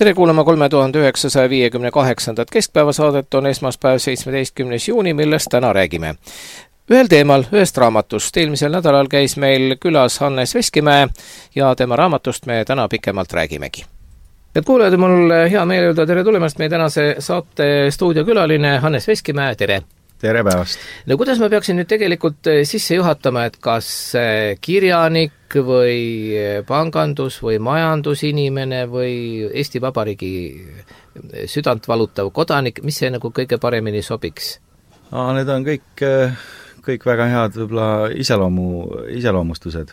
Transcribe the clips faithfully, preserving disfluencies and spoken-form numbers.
tere kuulama kolme tuhande üheksasaja viiekümne kaheksandat keskpäevasaadet, on esmaspäev seitsmeteistkümnes juuni, millest täna räägime. Ühel teemal, ühest raamatust. Eelmisel nädalal käis meil külas Hannes Veskimäe ja tema raamatust me täna pikemalt räägimegi. Et kuulajad, mul hea meel öelda tere tulemast meie tänase saate stuudiokülaline Hannes Veskimäe, tere! Tere päevast! No kuidas ma peaksin nüüd tegelikult sisse juhatama, et kas kirjanik või pangandus või majandusinimene või Eesti Vabariigi südant valutav kodanik, mis see nagu kõige paremini sobiks? Aa, need on kõik, kõik väga head võib-olla iseloomu, iseloomustused.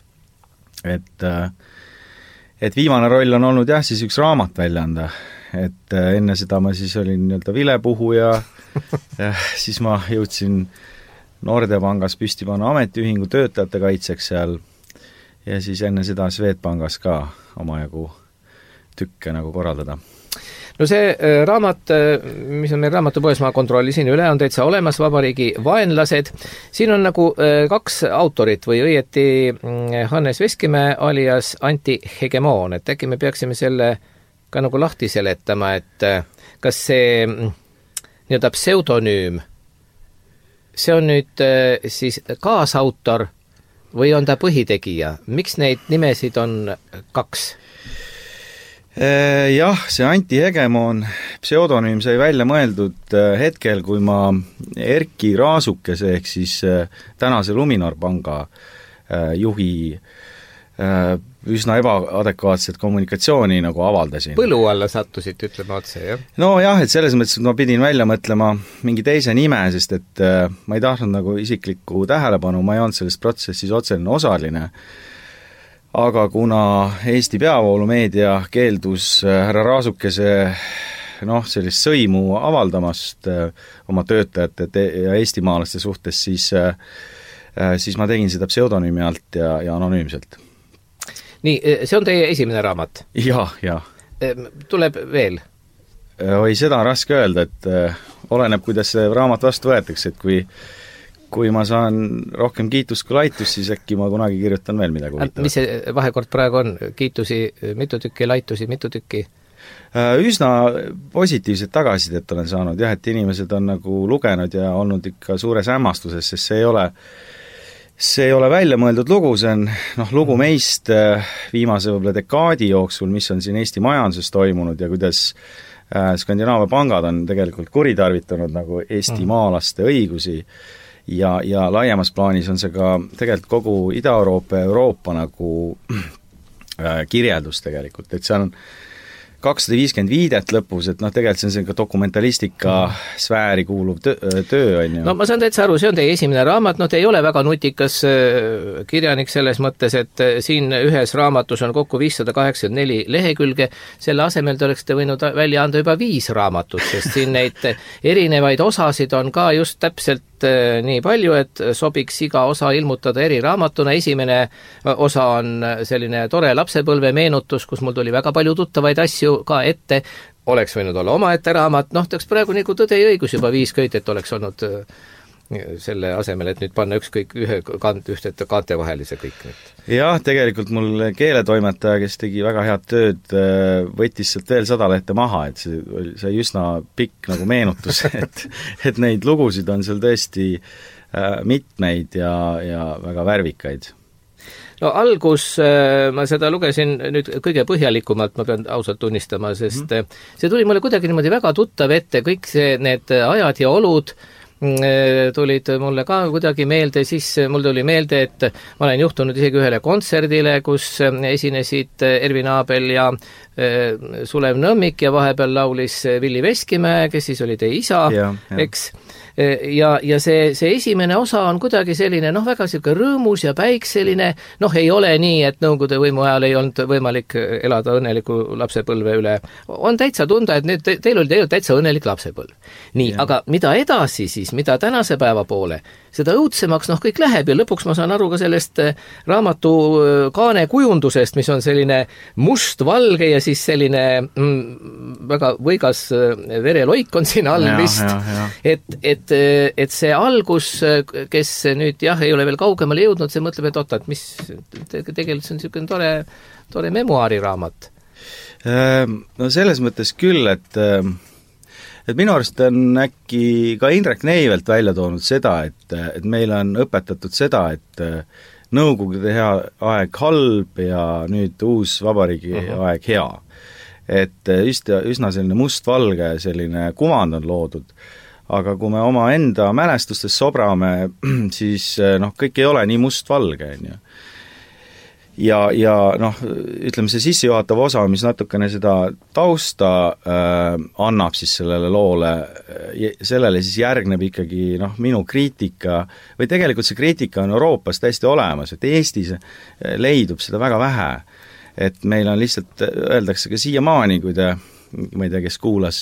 Et, et viimane roll on olnud jah, siis üks raamat välja anda. Et enne seda ma siis olin nii-öelda vilepuhuja ja siis ma jõudsin Nordepangas püsti panna ametiühingu töötajate kaitseks seal ja siis enne seda Swedbankis ka omajagu tükke nagu korraldada. No see raamat, mis on meil raamatupoes, ma kontrollisin üle, on täitsa olemas, Vabariigi vaenlased. Siin on nagu kaks autorit või õieti Hannes Veskimäe alias Anti Hegemoon, et äkki me peaksime selle ka nagu lahti seletama, et kas see nii-öelda pseudonüüm, see on nüüd siis kaasautor või on ta põhitegija? Miks neid nimesid on kaks? Jah, see Anti Hegemoon pseudonüüm sai välja mõeldud hetkel, kui ma Erki Raasukese ehk siis tänase Luminor panga juhi üsna ebaadekvaatset kommunikatsiooni nagu avaldasin. Põlu alla sattusid, ütleme otse, jah? No jah, et selles mõttes, et ma pidin välja mõtlema mingi teise nime, sest et ma ei tahtnud nagu isiklikku tähelepanu, ma ei olnud selles protsessis otseline osaline. Aga kuna Eesti peavoolumeedia keeldus härra Raasukese noh, sellist sõimu avaldamast oma töötajate ja eestimaalaste suhtes, siis, siis ma tegin seda pseudonüümi alt ja, ja anonüümselt. Nii, see on teie esimene raamat? Jah, jah. Tuleb veel? Oi, seda on raske öelda, et oleneb, kuidas see raamat vastu võetakse, et kui, kui ma saan rohkem kiitust kui laitust, siis äkki ma kunagi kirjutan veel midagi huvitavat. Mis see vahekord praegu on? Kiitusi mitu tükki, laitusi mitu tükki? Üsna positiivset tagasisidet olen saanud, jah, et inimesed on nagu lugenud ja olnud ikka suures hämmastuses, sest see ei ole See ei ole välja mõeldud lugu, see on noh, lugu meist viimase võib-olla dekaadi jooksul, mis on siin Eesti majanduses toimunud ja kuidas Skandinaavia pangad on tegelikult kuritarvitanud nagu Eesti maalaste õigusi ja, ja laiemas plaanis on see ka tegelikult kogu Ida-Euroopa ja Euroopa nagu kirjeldus tegelikult, et see on kakssada viiskümmend viidet lõpus, et noh, tegelikult see on selline dokumentalistika sfääri kuuluv töö, töö on ju. No ma saan täitsa aru, see on teie esimene raamat, no te ei ole väga nutikas kirjanik selles mõttes, et siin ühes raamatus on kokku viissada kaheksakümmend neli lehekülge, selle asemel te oleksite võinud välja anda juba viis raamatut, sest siin neid erinevaid osasid on ka just täpselt nii palju, et sobiks iga osa ilmutada eri raamatuna. Esimene osa on selline tore lapsepõlve meenutus, kus mul tuli väga palju tuttavaid asju ka ette, oleks võinud olla omaette raamat, noh, teaks praegu nagu tõde ja õigus juba viis köit, et oleks olnud selle asemel, et nüüd panna ükskõik ühe kant, ühte kaante vahelise kõik nüüd. Jah, tegelikult mul keeletoimetaja, kes tegi väga head tööd, võttis sealt veel sada lehte maha, et see oli see üsna pikk nagu meenutus, et, et neid lugusid on seal tõesti mitmeid ja, ja väga värvikaid. No algus, ma seda lugesin nüüd kõige põhjalikumalt, ma pean ausalt tunnistama, sest mm-hmm. see tuli mulle kuidagi niimoodi väga tuttav ette, kõik see, need ajad ja olud tulid mulle ka kuidagi meelde, siis mul tuli meelde, et ma olen juhtunud isegi ühele kontserdile, kus esinesid Ervin Aabel ja Sulev Nõmmik ja vahepeal laulis Villi Veskimäe, kes siis oli teie isa, ja, ja. eks. Ja, ja see, see esimene osa on kuidagi selline, noh, väga selline rõõmus ja päikseline, noh, ei ole nii, et Nõukogude võimu ajal ei olnud võimalik elada õnneliku lapsepõlve üle. On täitsa tunda, et nüüd te, teil oli tegelikult täitsa õnnelik lapsepõlv. Nii, ja. Aga mida edasi siis, mida tänase päeva poole, seda õudsemaks, noh, kõik läheb ja lõpuks ma saan aru ka sellest raamatu kaane kujundusest, mis on selline must-valge ja siis selline mm, väga võigas vereloik on siin all ja, vist, ja, ja. et, et et see algus, kes nüüd jah, ei ole veel kaugemale jõudnud, see mõtleb, et oota, et mis tegelikult see on niisugune tore, tore memuaariraamat. No selles mõttes küll, et et minu arust on äkki ka Indrek Neivelt välja toonud seda, et, et meil on õpetatud seda, et nõukogude hea aeg halb ja nüüd uus vabariigi uh-huh. aeg hea. Et üsna, üsna selline mustvalge selline kuvand on loodud, aga kui me oma enda mälestustes sobrame, siis noh, kõik ei ole nii mustvalge, on ju. Ja, ja noh, ütleme see sissejuhatav osa, mis natukene seda tausta äh, annab siis sellele loole, sellele siis järgneb ikkagi noh, minu kriitika, või tegelikult see kriitika on Euroopas täiesti olemas, et Eestis leidub seda väga vähe. Et meil on lihtsalt, öeldakse ka siiamaani, kui te ma ei tea, kes kuulas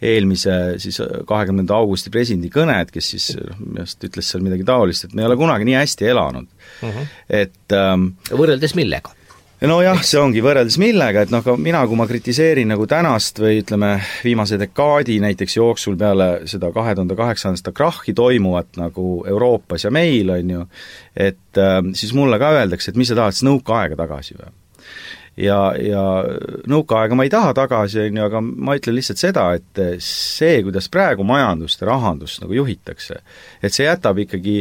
eelmise siis kahekümnenda augusti presidendi kõnet, kes siis just ütles seal midagi taolist, et me ei ole kunagi nii hästi elanud. Uh-huh. Et ähm, võrreldes millega? No jah, see ongi võrreldes millega, et noh, mina, kui ma kritiseerin nagu tänast või ütleme viimase dekaadi näiteks jooksul peale seda kahe tuhande kaheksanda krahhi toimuvat nagu Euroopas ja meil, on ju, et ähm, siis mulle ka öeldakse, et mis sa tahad, siis nõukaaega tagasi või? ja, ja nõukaaega ma ei taha tagasi, on ju, aga ma ütlen lihtsalt seda, et see, kuidas praegu majandust ja rahandust nagu juhitakse, et see jätab ikkagi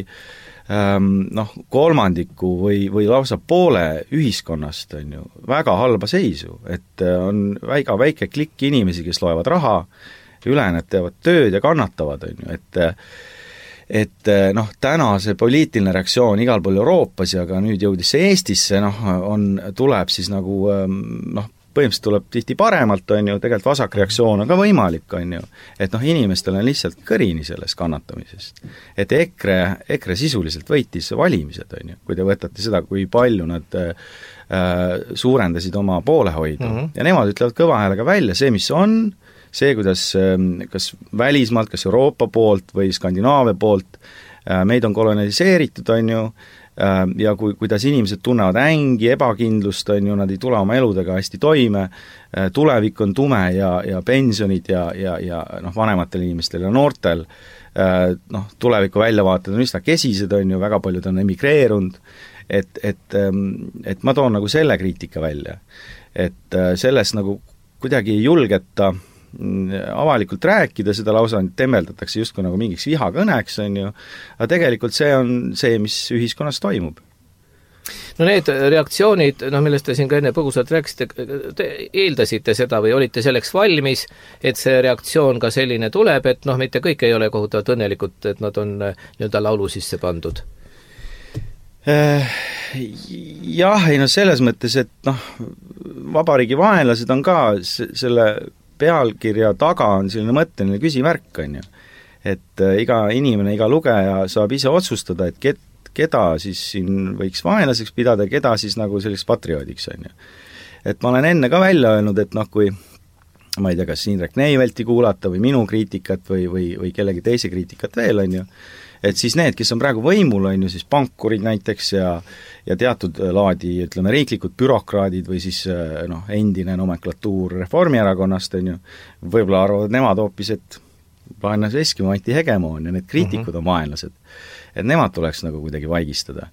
ähm, noh, kolmandiku või, või lausa poole ühiskonnast, on ju, väga halba seisu, et on väga väike klikk inimesi, kes loevad raha, ülejäänud teevad tööd ja kannatavad, on ju, et et noh, täna see poliitiline reaktsioon igal pool Euroopas ja ka nüüd jõudis see Eestisse, noh, on, tuleb siis nagu noh, põhimõtteliselt tuleb tihti paremalt, on ju, tegelikult vasakreaktsioon on ka võimalik, on ju, et noh, inimestel on lihtsalt kõrini sellest kannatamisest. Et EKRE, EKRE sisuliselt võitis valimised, on ju, kui te võtate seda, kui palju nad äh, suurendasid oma poolehoidu mm-hmm. ja nemad ütlevad kõva häälega välja see, mis on, see, kuidas kas välismaalt, kas Euroopa poolt või Skandinaavia poolt meid on koloniseeritud, on ju, ja kui, kuidas inimesed tunnevad ängi, ebakindlust, on ju, nad ei tule oma eludega hästi toime, tulevik on tume ja, ja pensionid ja, ja, ja noh, vanematel inimestel ja noortel, noh, tuleviku väljavaated on üsna kesised, on ju, väga paljud on emigreerunud, et, et, et ma toon nagu selle kriitika välja. Et sellest nagu kuidagi ei julgeta avalikult rääkida, seda lausa temmeldatakse justkui nagu mingiks vihakõneks, on ju, aga tegelikult see on see, mis ühiskonnas toimub. No need reaktsioonid, no millest te siin ka enne põgusalt rääkisite, te eeldasite seda või olite selleks valmis, et see reaktsioon ka selline tuleb, et noh, mitte kõik ei ole kohutavalt õnnelikud, et nad on nii-öelda laulu sisse pandud? Jah, ei no selles mõttes, et noh, vabariigi vaenlased on ka selle pealkirja taga on selline mõtteline küsimärk, on ju. Et iga inimene, iga lugeja saab ise otsustada, et ket, keda siis siin võiks vaenlaseks pidada ja keda siis nagu selliseks patrioodiks, on ju. Et ma olen enne ka välja öelnud, et noh, kui ma ei tea, kas Indrek Neivelti kuulata või minu kriitikat või, või, või kellegi teise kriitikat veel, on ju, et siis need, kes on praegu võimul, on ju, siis pankurid näiteks ja, ja teatud laadi, ütleme, riiklikud bürokraadid või siis noh, endine nomenklatuur Reformierakonnast, on ju, võib-olla arvavad nemad hoopis, et vaenlase Eskimo antihegemoon ja need kriitikud uh-huh. on vaenlased. Et nemad tuleks nagu kuidagi vaigistada.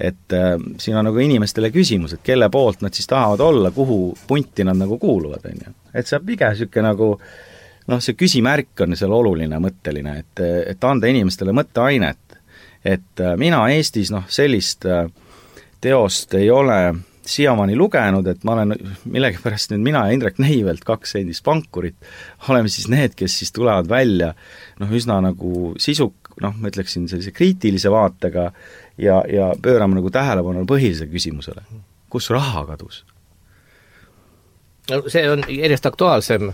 Et äh, siin on nagu inimestele küsimus, et kelle poolt nad siis tahavad olla, kuhu punti nad nagu kuuluvad, on ju. Et see on pigem niisugune nagu noh, see küsimärk on seal oluline mõtteline, et, et anda inimestele mõtteainet. Et mina Eestis noh, sellist teost ei ole siiamaani lugenud, et ma olen millegipärast nüüd mina ja Indrek Neivelt, kaks endist pankurit, oleme siis need, kes siis tulevad välja noh, üsna nagu sisuk, noh, ma ütleksin sellise kriitilise vaatega ja, ja pöörame nagu tähelepanu põhilisele küsimusele. Kus raha kadus? No see on järjest aktuaalsem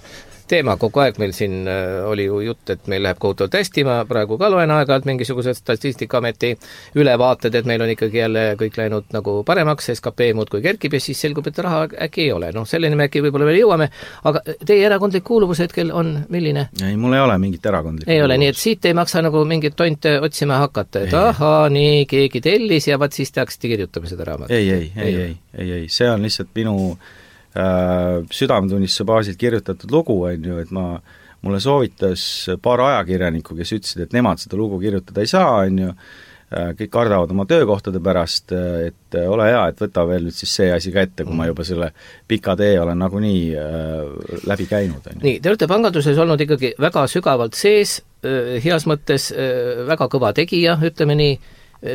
teema, kogu aeg meil siin oli ju jutt, et meil läheb kohutavalt hästi, ma praegu ka loen aeg-ajalt mingisugused Statistikaameti ülevaated, et meil on ikkagi jälle kõik läinud nagu paremaks, S K P muudkui kerkib ja siis selgub, et raha äkki ei ole. Noh, selleni me äkki võib-olla veel jõuame, aga teie erakondlik kuuluvus hetkel on milline? Ei, mul ei ole mingit erakondlik ei kuuluvus. Ole, nii et siit ei maksa nagu mingit tonte otsima hakata, et ei. Ahaa, nii, keegi tellis ja vaat siis te hakkasite kirjutama seda raamatut. Ei, ei, ei, ei, ei, ei, ei, see on lihtsalt minu südametunnistuse baasilt kirjutatud lugu, on ju, et ma, mulle soovitas paar ajakirjanikku, kes ütlesid, et nemad seda lugu kirjutada ei saa, on ju, kõik kardavad oma töökohtade pärast, et ole hea, et võta veel nüüd siis see asi ka ette, kui ma juba selle pika tee olen nagunii äh, läbi käinud. Nii, te olete panganduses olnud ikkagi väga sügavalt sees, äh, heas mõttes äh, väga kõva tegija, ütleme nii.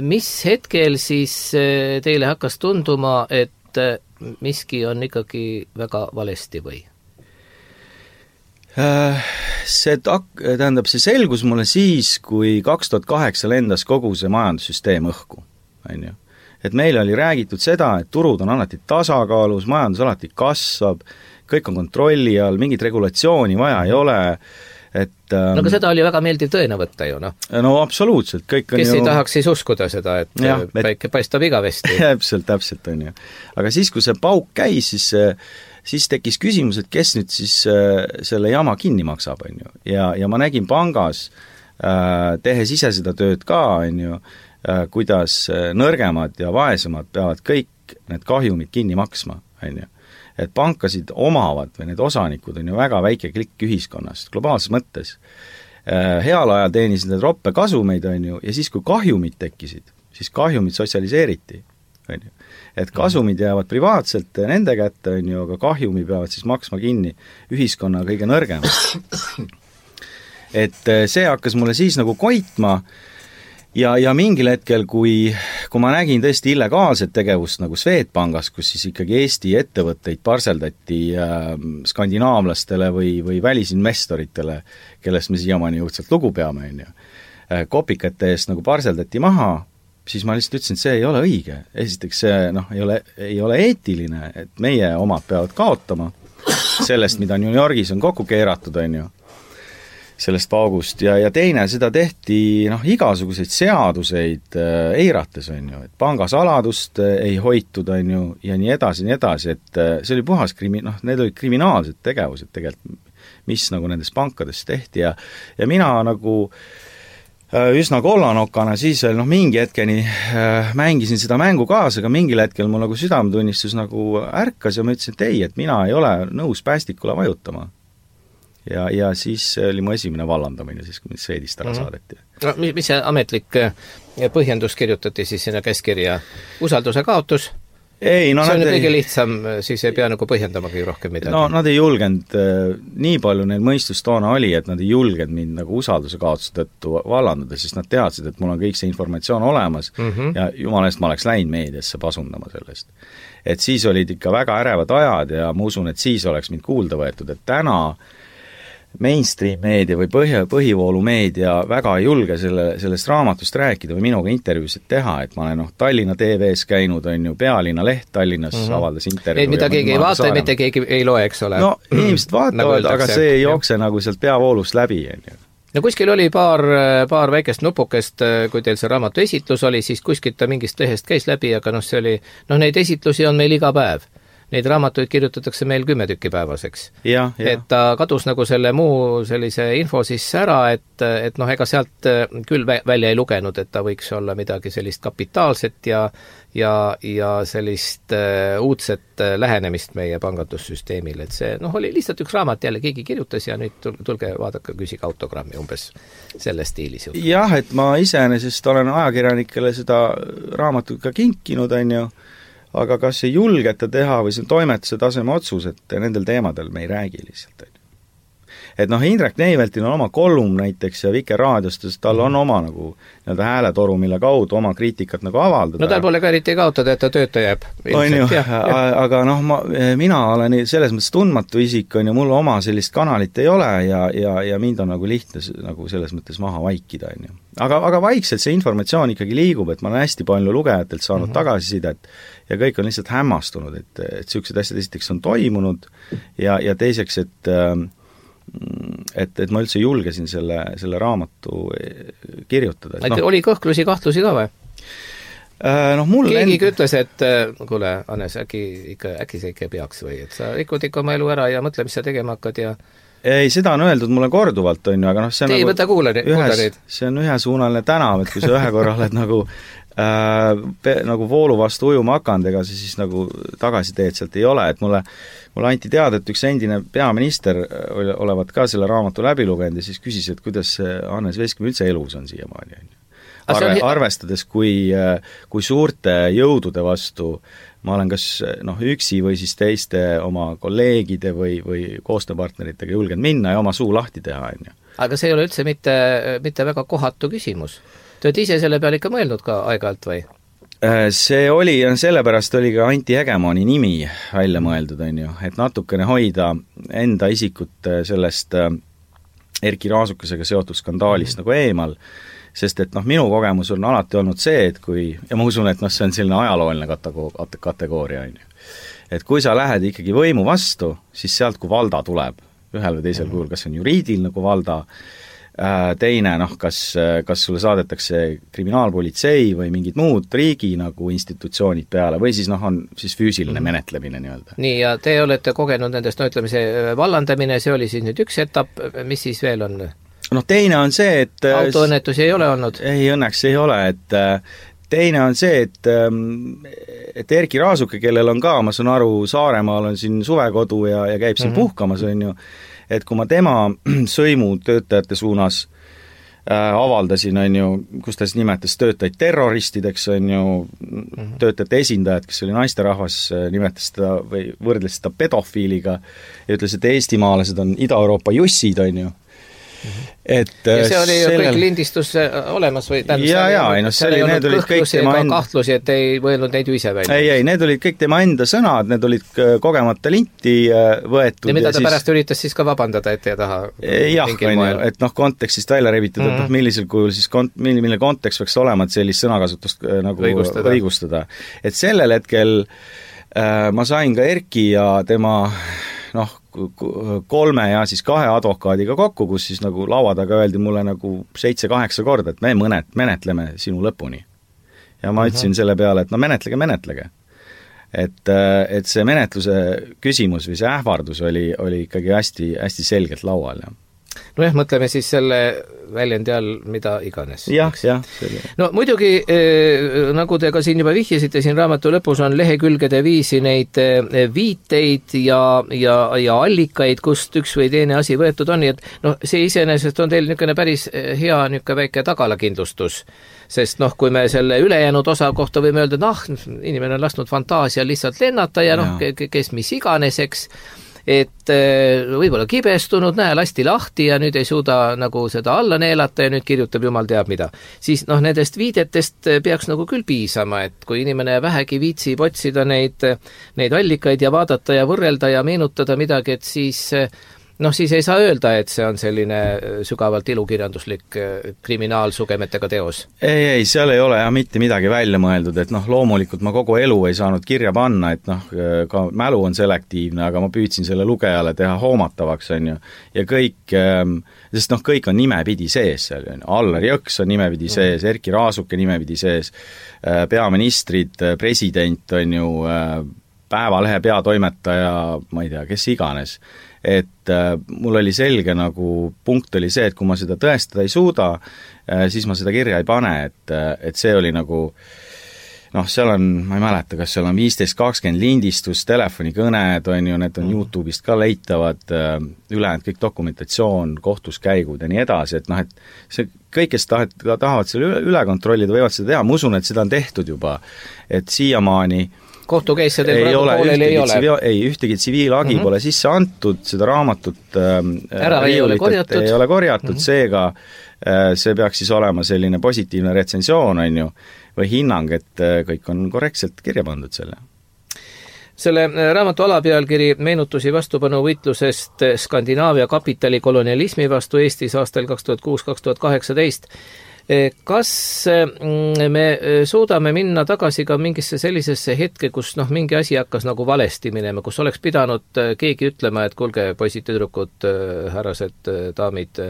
Mis hetkel siis äh, teile hakkas tunduma, et äh, miski on ikkagi väga valesti või? See, tak-, tähendab, see selgus mulle siis, kui kaks tuhat kaheksa lendas kogu see majandussüsteem õhku, on ju. Et meil oli räägitud seda, et turud on alati tasakaalus, majandus alati kasvab, kõik on kontrolli all, mingit regulatsiooni vaja ei ole, et no aga seda oli väga meeldiv tõena võtta ju, noh. No absoluutselt, kõik on kes ju... ei tahaks siis uskuda seda, et ja, päike et... paistab igavesti. Täpselt, täpselt on ju. Aga siis, kui see pauk käis, siis siis tekkis küsimus, et kes nüüd siis äh, selle jama kinni maksab, on ju. Ja, ja ma nägin pangas, äh, tehes ise seda tööd ka, on ju, äh, kuidas nõrgemad ja vaesemad peavad kõik need kahjumid kinni maksma, on ju. Et pankasid omavad või need osanikud on ju väga väike klikk ühiskonnast, globaalses mõttes. Äh, heal ajal teenisid need roppe kasumeid, on ju, ja siis, kui kahjumid tekkisid, siis kahjumid sotsialiseeriti, on ju. Et kasumid jäävad privaatselt nende kätte, on ju, aga kahjumi peavad siis maksma kinni ühiskonna kõige nõrgem. Et see hakkas mulle siis nagu koitma ja, ja mingil hetkel, kui, kui ma nägin tõesti illegaalset tegevust nagu Swedbankis, kus siis ikkagi Eesti ettevõtteid parseldati äh, skandinaavlastele või, või välisinvestoritele, kellest me siiamaani jõudsalt lugu peame, on ju, äh, kopikate eest nagu parseldati maha, siis ma lihtsalt ütlesin, et see ei ole õige. Esiteks see noh, ei ole, ei ole eetiline, et meie omad peavad kaotama sellest, mida New Yorgis on kokku keeratud, on ju, sellest paugust. Ja, ja teine, seda tehti noh, igasuguseid seaduseid äh, eirates, on ju, et pangasaladust äh, ei hoitud, on ju, ja nii edasi, nii edasi, et äh, see oli puhas krimi-, noh, need olid kriminaalsed tegevused tegelikult, mis nagu nendes pankades tehti ja, ja mina nagu üsna kollanokana siis veel noh, mingi hetkeni äh, mängisin seda mängu kaasa, aga mingil hetkel mul nagu südametunnistus nagu ärkas ja ma ütlesin, et ei, et mina ei ole nõus päästikule vajutama. Ja, ja siis oli mu esimene vallandamine, siis kui mind Swedist ära mm-hmm. saadeti. No, mis, mis see ametlik põhjendus kirjutati siis sinna käskirja? Usalduse kaotus? Ei, no see on kõige ei... lihtsam, siis ei pea nagu põhjendamagi rohkem midagi. No nad ei julgenud, nii palju neil mõistus toona oli, et nad ei julgenud mind nagu usalduse kaotuse tõttu vallandada, sest nad teadsid, et mul on kõik see informatsioon olemas mm -hmm. ja jumalast ma oleks läinud meediasse pasundama sellest. Et siis olid ikka väga ärevad ajad ja ma usun, et siis oleks mind kuulda võetud, et täna mainstream meedia või põhja, põhivoolumeedia väga ei julge selle, sellest raamatust rääkida või minuga intervjuusid teha, et ma olen noh, Tallinna T V-s käinud, on ju, Pealinna leht Tallinnas mm -hmm. avaldas intervjuu. Mida keegi ei vaata ja mitte keegi ei loe, eks ole? No inimesed vaatavad, nagu aga see ei jookse nagu sealt peavoolust läbi, on ju. No kuskil oli paar, paar väikest nupukest, kui teil see raamatu esitlus oli, siis kuskilt ta mingist lehest käis läbi, aga noh, see oli, noh, neid esitlusi on meil iga päev. Neid raamatuid kirjutatakse meil kümme tükki päevaseks. Ja, ja. Et ta kadus nagu selle muu sellise info siis ära, et, et noh, ega sealt küll välja ei lugenud, et ta võiks olla midagi sellist kapitaalset ja, ja, ja sellist uh, uudset lähenemist meie pangandussüsteemile, et see noh, oli lihtsalt üks raamat, jälle keegi kirjutas ja nüüd tulge vaadake, küsige autogrammi umbes selles stiilis. Jah, et ma iseenesest olen ajakirjanikele seda raamatut ka kinkinud, on ju, aga kas ei julgeta teha või see on toimetuse taseme otsus, et nendel teemadel me ei räägi lihtsalt. Et noh, Indrek Neiveltil on oma kolum näiteks ja Vikerraadiost, sest tal on oma nagu nii-öelda hääletoru, mille kaudu oma kriitikat nagu avaldada. No tal pole ka eriti kaotada, et ta tööta jääb. On ju, aga noh, ma, mina olen selles mõttes tundmatu isik, on ju, mul oma sellist kanalit ei ole ja, ja, ja mind on nagu lihtne nagu selles mõttes maha vaikida, on ju. Aga, aga vaikselt see informatsioon ikkagi liigub, et ma olen hästi palju lugejatelt saanud mm -hmm. tagasisidet ja kõik on lihtsalt hämmastunud, et, et sellised asjad esiteks on toimunud ja, ja teiseks, et et, et ma üldse julgesin selle, selle raamatu kirjutada. No, oli kõhklusi, kahtlusi ka või? No, mul keegi end... ütles, et kuule, Hannes, äkki, ikka, äkki see ikka peaks või, et sa rikud ikka oma elu ära ja mõtle, mis sa tegema hakkad ja ei, seda on öeldud mulle korduvalt, on ju, aga noh, see on Tei, nagu võta kuule, ühes, see on ühesuunaline tänav, et kui sa ühe korra oled nagu äh, pe, nagu voolu vastu ujuma hakanud, ega sa siis nagu tagasi teed sealt ei ole, et mulle mulle anti teada, et üks endine peaminister olevat ka selle raamatu läbi lugenud ja siis küsis, et kuidas Hannes Veskimäe üldse elus on siiamaani, on ju. arve, arvestades, kui, kui suurte jõudude vastu ma olen kas noh, üksi või siis teiste oma kolleegide või, või koostööpartneritega julgenud minna ja oma suu lahti teha, on ju. Aga see ei ole üldse mitte, mitte väga kohatu küsimus. Te olete ise selle peale ikka mõelnud ka aeg-ajalt või? See oli, sellepärast oli ka Anti Hegemoni nimi välja mõeldud, on ju, et natukene hoida enda isikut sellest Erki Raasukesega seotud skandaalist mm. nagu eemal, sest et noh, minu kogemus on alati olnud see, et kui, ja ma usun, et noh, see on selline ajalooline kategooria, on ju. Et kui sa lähed ikkagi võimu vastu, siis sealt, kui valda tuleb, ühel või teisel kujul, kas on juriidiline nagu valda, teine, noh, kas, kas sulle saadetakse kriminaalpolitsei või mingid muud riigi nagu institutsioonid peale või siis noh, on siis füüsiline menetlemine nii-öelda. Nii, ja te olete kogenud nendest, no ütleme, see vallandamine, see oli siis nüüd üks etapp, mis siis veel on? noh, teine on see, et autoõnnetusi ei ole olnud? Ei, õnneks ei ole, et teine on see, et et Erki Raasuke, kellel on ka, ma saan aru, Saaremaal on siin suvekodu ja, ja käib siin mm-hmm. puhkamas, on ju, et kui ma tema sõimu töötajate suunas äh, avaldasin, on ju, kus ta siis nimetas töötajaid terroristideks, on ju, mm-hmm. töötajate esindajad, kes oli naisterahvas, nimetas seda või võrdles seda pedofiiliga ja ütles, et eestimaalased on Ida-Euroopa jussid, on ju. Et ja see oli sellel... kõik lindistus olemas või tähendab, ja, ja, ei, no, see oli, need olid kõik tema enda kahtlusi, et ei mõelnud neid ju ise välja. Ei, ei, need olid kõik tema enda sõnad, need olid kogemata linti võetud. Ja mida ja ta siis... pärast üritas siis ka vabandada ette ja taha? Jah, on ju, et noh, kontekstist välja rebitud, mm-hmm. et noh, millisel kujul siis kont-, milline kontekst võiks olema, et sellist sõnakasutust nagu õigustada. õigustada. Et sellel hetkel äh, ma sain ka Erki ja tema noh, kolme ja siis kahe advokaadiga kokku, kus siis nagu laua taga öeldi mulle nagu seitse-kaheksa korda, et me mõnet, menetleme sinu lõpuni. Ja ma ütlesin selle peale, et no menetlege, menetlege. Et, et see menetluse küsimus või see ähvardus oli, oli ikkagi hästi, hästi selgelt laual, jah. No jah, mõtleme siis selle väljendi all mida iganes. jah, jah. No muidugi, eh, nagu te ka siin juba vihjasite, siin raamatu lõpus on lehekülgede viisi neid eh, viiteid ja, ja, ja allikaid, kust üks või teine asi võetud on, nii et noh, see iseenesest on teil niisugune päris hea niisugune väike tagalakindlustus, sest noh, kui me selle ülejäänud osa kohta võime öelda, et noh, inimene on lasknud fantaasia lihtsalt lennata ja noh, kes mis iganes, eks, et võib-olla kibestunud, näe, lasti lahti ja nüüd ei suuda nagu seda alla neelata ja nüüd kirjutab jumal teab mida. Siis noh, nendest viidetest peaks nagu küll piisama, et kui inimene vähegi viitsib otsida neid, neid allikaid ja vaadata ja võrrelda ja meenutada midagi, et siis noh, siis ei saa öelda, et see on selline sügavalt ilukirjanduslik kriminaalsugemetega teos. Ei, ei, seal ei ole jah mitte midagi välja mõeldud, et noh, loomulikult ma kogu elu ei saanud kirja panna, et noh, ka mälu on selektiivne, aga ma püüdsin selle lugejale teha hoomatavaks, on ju, ja kõik, sest noh, kõik on nimepidi sees seal, on ju, Allar Jõks on nimepidi sees, Erki Raasuke nimepidi sees, peaministrid, president, on ju, Päevalehe peatoimetaja, ma ei tea, kes iganes, et äh, mul oli selge nagu punkt oli see, et kui ma seda tõestada ei suuda, äh, siis ma seda kirja ei pane, et, äh, et see oli nagu noh, seal on, ma ei mäleta, kas seal on viisteist kakskümmend lindistus, telefonikõned, on ju, need on YouTube'ist ka leitavad, äh, ülejäänud kõik dokumentatsioon, kohtuskäigud ja nii edasi, et noh, et see kõik, kes tahet, tahavad selle üle, üle kontrollida, võivad seda teha, ma usun, et seda on tehtud juba, et siiamaani kohtukeisse teil praegu pooleli ei ole? Ei, ühtegi tsiviilagi mm-hmm. pole sisse antud, seda raamatut ähm, ära ei ole korjatud, ei ole korjatud mm-hmm. seega äh, see peaks siis olema selline positiivne retsensioon, on ju, või hinnang, et äh, kõik on korrektselt kirja pandud selle. Selle raamatu alapealkiri meenutusi vastupanu võitlusest Skandinaavia kapitali kolonialismi vastu Eestis aastal kaks tuhat kuus kaks tuhat kaheksateist. Kas me suudame minna tagasi ka mingisse sellisesse hetke, kus noh, mingi asi hakkas nagu valesti minema, kus oleks pidanud keegi ütlema, et kuulge, poisid, tüdrukud, härrased, daamid,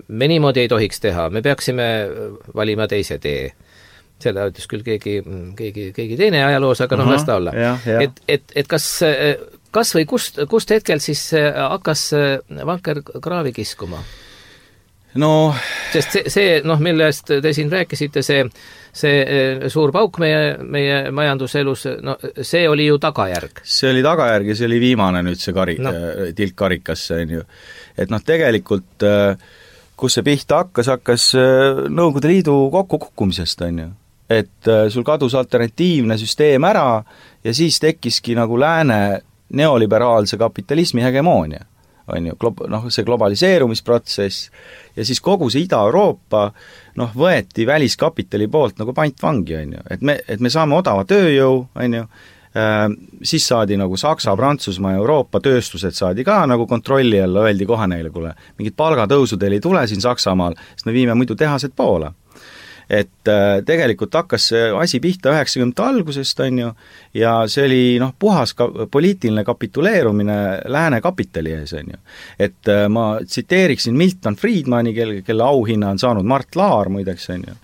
me niimoodi ei tohiks teha, me peaksime valima teise tee. Selle ütles küll keegi, keegi, keegi teine ajaloos, aga noh, las ta olla. Et, et, et kas, kas või kust, kust hetkel siis hakkas vanker kraavi kiskuma? No sest see, see noh, millest te siin rääkisite, see, see suur pauk meie, meie majanduselus, no see oli ju tagajärg. See oli tagajärg ja see oli viimane nüüd see kari, no. tilk karikasse, on ju. Et noh, tegelikult kus see pihta hakkas, hakkas Nõukogude Liidu kokkukukkumisest, on ju. Et sul kadus alternatiivne süsteem ära ja siis tekkiski nagu lääne neoliberaalse kapitalismi hegemoonia, on ju, noh, see globaliseerumisprotsess ja siis kogu see Ida-Euroopa noh, võeti väliskapitali poolt nagu pantvangi, on ju, et me, et me saame odava tööjõu, on ju, siis saadi nagu Saksa, Prantsusmaa ja Euroopa tööstused saadi ka nagu kontrolli alla, öeldi kohe neile, kuule, mingid palgatõusud ei tule siin Saksamaal, sest me viime muidu tehased poole. Et äh, tegelikult hakkas see asi pihta üheksakümnendate algusest, on ju, ja see oli noh, puhas ka, poliitiline kapituleerumine lääne kapitali ees, on ju. Et äh, ma tsiteeriksin Milton Friedmani, kelle, kelle auhinna on saanud Mart Laar, muideks, on ju,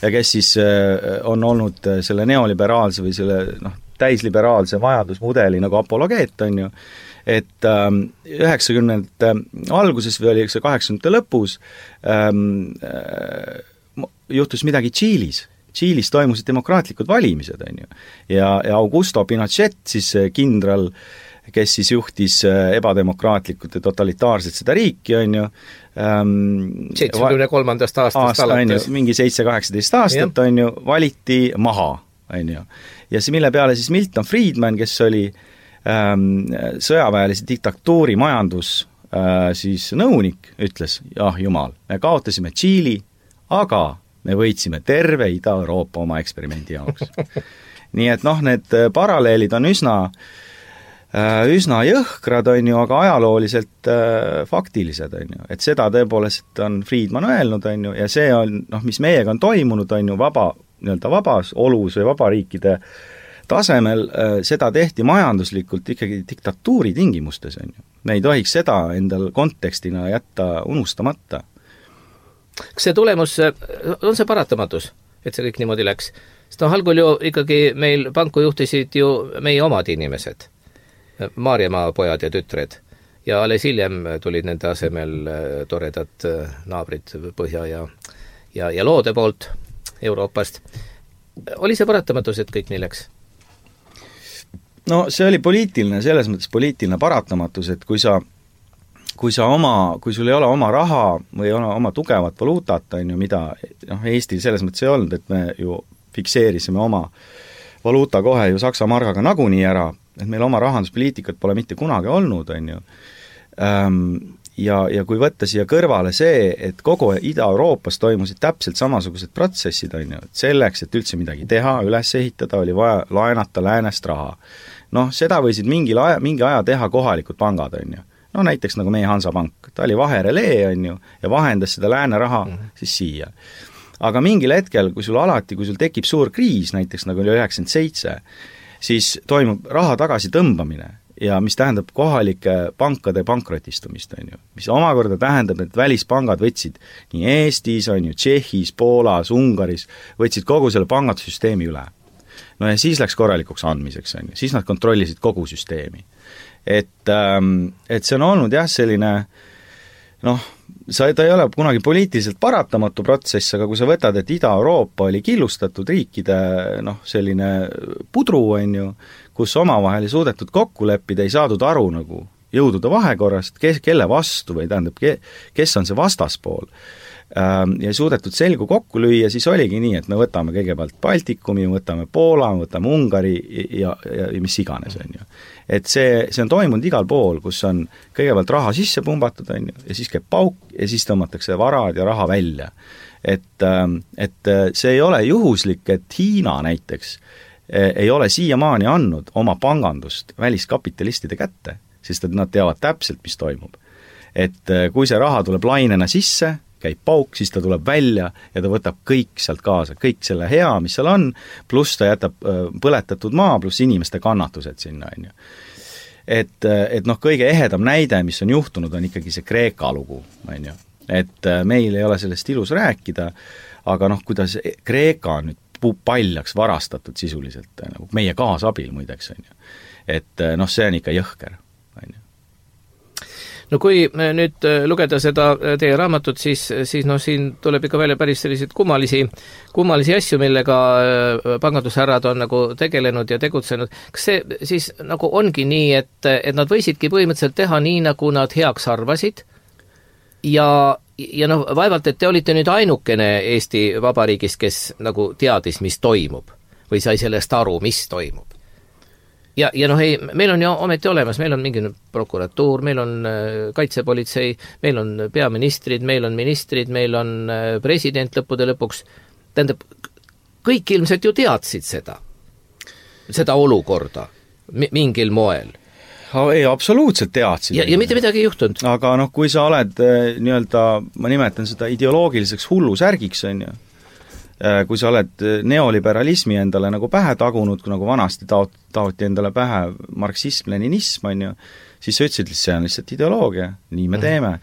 ja kes siis äh, on olnud selle neoliberaalse või selle noh, täisliberaalse majandusmudeli nagu apologeet, on ju, et ähm, üheksakümnendate alguses või oli see kaheksakümnendate lõpus ähm, äh, juhtus midagi Tšiilis. Tšiilis toimusid demokraatlikud valimised, on ju. Ja, ja Augusto Pinochet, siis kindral, kes siis juhtis ebademokraatlikult ja totalitaarselt seda riiki, on ju, seitsmekümne kolmandast aastast aasta, alates. Mingi seitse kaheksateist aastat, ja. On ju, valiti maha, on ju. Ja see, mille peale siis Milton Friedman, kes oli ähm, sõjaväelise diktatuuri majandus äh, siis nõunik, ütles, jah jumal, me kaotasime Tšiili, aga me võitsime terve Ida-Euroopa oma eksperimendi jaoks. Nii et noh, need paralleelid on üsna, üsna jõhkrad, on ju, aga ajalooliselt faktilised, on ju. Et seda tõepoolest on Friedman öelnud, on ju, ja see on, noh, mis meiega on toimunud, on ju, vaba, nii-öelda vabas olus või vabariikide tasemel, seda tehti majanduslikult ikkagi diktatuuri tingimustes, on ju. Me ei tohiks seda endal kontekstina jätta unustamata. Kas see tulemus, on see paratamatus, et see kõik niimoodi läks? Sest noh, algul ju ikkagi meil panku juhtisid ju meie omad inimesed, Maarjamaa pojad ja tütred, ja alles hiljem tulid nende asemel toredad naabrid Põhja ja, ja, ja Loode poolt Euroopast. Oli see paratamatus, et kõik nii läks? No see oli poliitiline, selles mõttes poliitiline paratamatus, et kui sa kui sa oma, kui sul ei ole oma raha või ole oma tugevat valuutat, on ju, mida noh, Eestil selles mõttes ei olnud, et me ju fikseerisime oma valuuta kohe ju Saksa margaga nagunii ära, et meil oma rahanduspoliitikat pole mitte kunagi olnud, on ju. Ja, ja kui võtta siia kõrvale see, et kogu Ida-Euroopas toimusid täpselt samasugused protsessid, on ju, et selleks, et üldse midagi teha, üles ehitada, oli vaja laenata läänest raha. Noh, seda võisid mingi aja, mingi aja teha kohalikud pangad, on ju. No näiteks nagu meie Hansapank, ta oli vaherelee, on ju, ja vahendas seda lääne raha mm -hmm. siis siia. Aga mingil hetkel, kui sul alati, kui sul tekib suur kriis, näiteks nagu oli üheksakümmend seitse, siis toimub raha tagasi tõmbamine ja mis tähendab kohalike pankade pankrotistumist, on ju. Mis omakorda tähendab, et välispangad võtsid nii Eestis, on ju, Tšehhis, Poolas, Ungaris, võtsid kogu selle pangandussüsteemi üle. No ja siis läks korralikuks andmiseks, on ju, siis nad kontrollisid kogu süsteemi. Et, et see on olnud jah, selline noh, sa, ta ei ole kunagi poliitiliselt paratamatu protsess, aga kui sa võtad, et Ida-Euroopa oli killustatud riikide noh, selline pudru, on ju, kus omavahel ei suudetud kokku leppida, ei saadud aru nagu jõudude vahekorrast, kes, kelle vastu või tähendab, kes on see vastaspool. Ja ei suudetud selgu kokku lüüa, siis oligi nii, et me võtame kõigepealt Baltikumi, võtame Poola, võtame Ungari ja, ja, ja mis iganes, on ju. Et see, see on toimunud igal pool, kus on kõigepealt raha sisse pumbatud, on ju, ja siis käib pauk ja siis tõmmatakse varad ja raha välja. Et, et see ei ole juhuslik, et Hiina näiteks ei ole siiamaani andnud oma pangandust väliskapitalistide kätte, sest et nad teavad täpselt, mis toimub. Et kui see raha tuleb lainena sisse, käib pauk, siis ta tuleb välja ja ta võtab kõik sealt kaasa, kõik selle hea, mis seal on, pluss ta jätab põletatud maa, pluss inimeste kannatused sinna, on ju. Et, et noh, kõige ehedam näide, mis on juhtunud, on ikkagi see Kreeka lugu, on ju. Et meil ei ole sellest ilus rääkida, aga noh, kuidas Kreeka on nüüd paljaks varastatud sisuliselt, nagu meie kaasabil muideks, on ju. Et noh, see on ikka jõhker, on ju. No kui nüüd lugeda seda teie raamatut, siis, siis noh, siin tuleb ikka välja päris selliseid kummalisi, kummalisi asju, millega pangandushärrad on nagu tegelenud ja tegutsenud. Kas see siis nagu ongi nii, et, et nad võisidki põhimõtteliselt teha nii, nagu nad heaks arvasid? ja, ja noh, vaevalt, et te olite nüüd ainukene Eesti Vabariigis, kes nagu teadis, mis toimub või sai sellest aru, mis toimub. Ja, ja noh, ei, meil on ju ometi olemas, meil on mingi prokuratuur, meil on kaitsepolitsei, meil on peaministrid, meil on ministrid, meil on president lõppude lõpuks. Tähendab, kõik ilmselt ju teadsid seda, seda olukorda mingil moel. Ei, absoluutselt teadsid. Ja, ja mitte midagi ei juhtunud. Aga noh, kui sa oled nii-öelda, ma nimetan seda ideoloogiliseks hullusärgiks, on ju, kui sa oled neoliberalismi endale nagu pähe tagunud, kui nagu vanasti taot, taoti endale pähe marksism, leninism, on ju, siis sa ütlesid, see on lihtsalt ideoloogia, nii me teeme.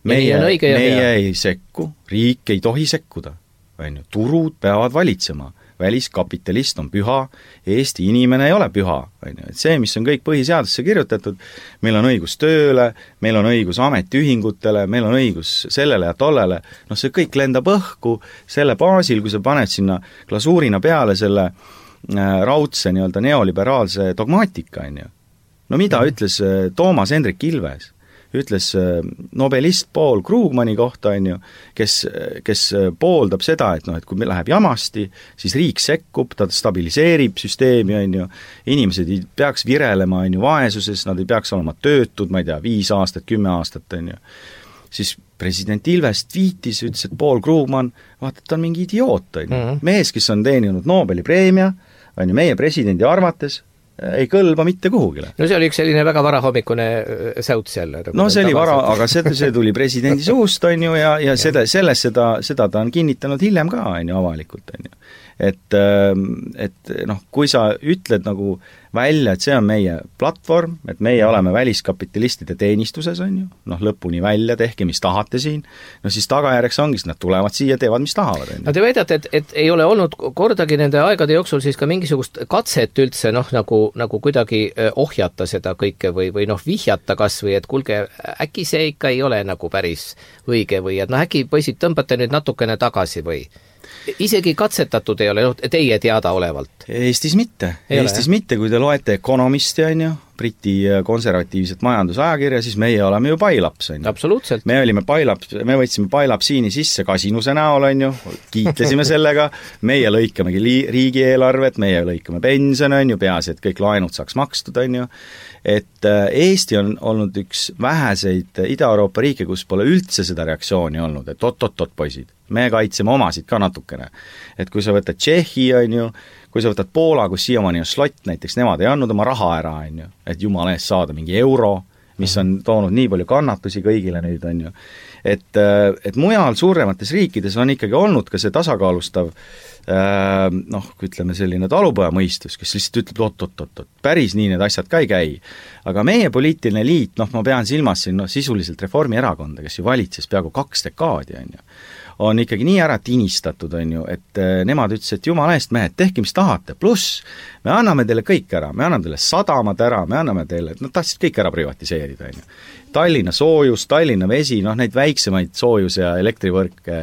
Meie, meie ei sekku, riik ei tohi sekkuda, on ju, turud peavad valitsema. Väliskapitalist on püha, Eesti inimene ei ole püha, on ju, et see, mis on kõik põhiseadusesse kirjutatud, meil on õigus tööle, meil on õigus ametiühingutele, meil on õigus sellele ja tollele, noh see kõik lendab õhku selle baasil, kui sa paned sinna glasuurina peale selle äh, raudse nii-öelda neoliberaalse dogmaatika, on ju. No mida mm. ütles äh, Toomas Hendrik Ilves? Ütles nobelist Paul Krugmani kohta, on ju, kes, kes pooldab seda, et noh, et kui meil läheb jamasti, siis riik sekkub, ta stabiliseerib süsteemi, on ju, inimesed ei peaks virelema, on ju, vaesuses, nad ei peaks olema töötud, ma ei tea, viis aastat, kümme aastat, on ju. Siis president Ilves tweetis, ütles, et Paul Krugman, vaata, ta on mingi idioot, on ju. Mm-hmm. Mees, kes on teeninud Nobeli preemia, on ju, meie presidendi arvates, ei kõlba mitte kuhugile. No see oli üks selline väga varahommikune säuts jälle. No see oli vara, aga see, see tuli presidendi suust, on ju, ja, ja seda, selles seda, seda ta on kinnitanud hiljem ka, on ju, avalikult, on ju. Et, et noh, kui sa ütled nagu välja, et see on meie platvorm, et meie oleme väliskapitalistide teenistuses, on ju, noh lõpuni välja, tehke mis tahate siin, no siis tagajärjeks ongi, nad tulevad siia, teevad mis tahavad. No te väidate, et, et ei ole olnud kordagi nende aegade jooksul siis ka mingisugust katset üldse noh, nagu, nagu kuidagi ohjata seda kõike või, või noh, vihjata kas või, et kuulge, äkki see ikka ei ole nagu päris õige või et noh, äkki poisid tõmbate nüüd natukene tagasi või isegi katsetatud ei ole, noh, teie teada olevalt? Eestis mitte. Ei Eestis ole, mitte, kui te loete Economisti, on ju, Briti konservatiivset majandusajakirja, siis meie oleme ju pailaps, on ju. Absoluutselt. Me olime pailaps, me võtsime pailapsiini sisse kasinuse näol, on ju, kiitlesime sellega, meie lõikamegi riigieelarvet, meie lõikame pension, on ju, peaasi, et kõik laenud saaks makstud, on ju, et Eesti on olnud üks väheseid Ida-Euroopa riike, kus pole üldse seda reaktsiooni olnud, et oot-oot-oot poisid, me kaitseme omasid ka natukene. Et kui sa võtad Tšehhi, on ju, kui sa võtad Poola, kus siiamaani on slott, näiteks nemad ei andnud oma raha ära, on ju, et jumala eest saada mingi euro, mis on toonud nii palju kannatusi kõigile nüüd, on ju. Et, et mujal suuremates riikides on ikkagi olnud ka see tasakaalustav noh, ütleme selline talupojamõistus, kes lihtsalt ütleb oot-oot-oot, päris nii need asjad ka ei käi. Aga meie poliitiline liit, noh, ma pean silmas siin no, sisuliselt Reformierakonda, kes ju valitses peaaegu kaks dekaadi, on ju, on ikkagi nii ära tinistatud, on ju, et nemad ütles, et jumala eest mehed, tehke mis tahate, pluss me anname teile kõik ära, me anname teile sadamad ära, me anname teile, nad tahtsid kõik ära privatiseerida, on ju. Tallinna soojus, Tallinna vesi, noh neid väiksemaid soojus- ja elektrivõrke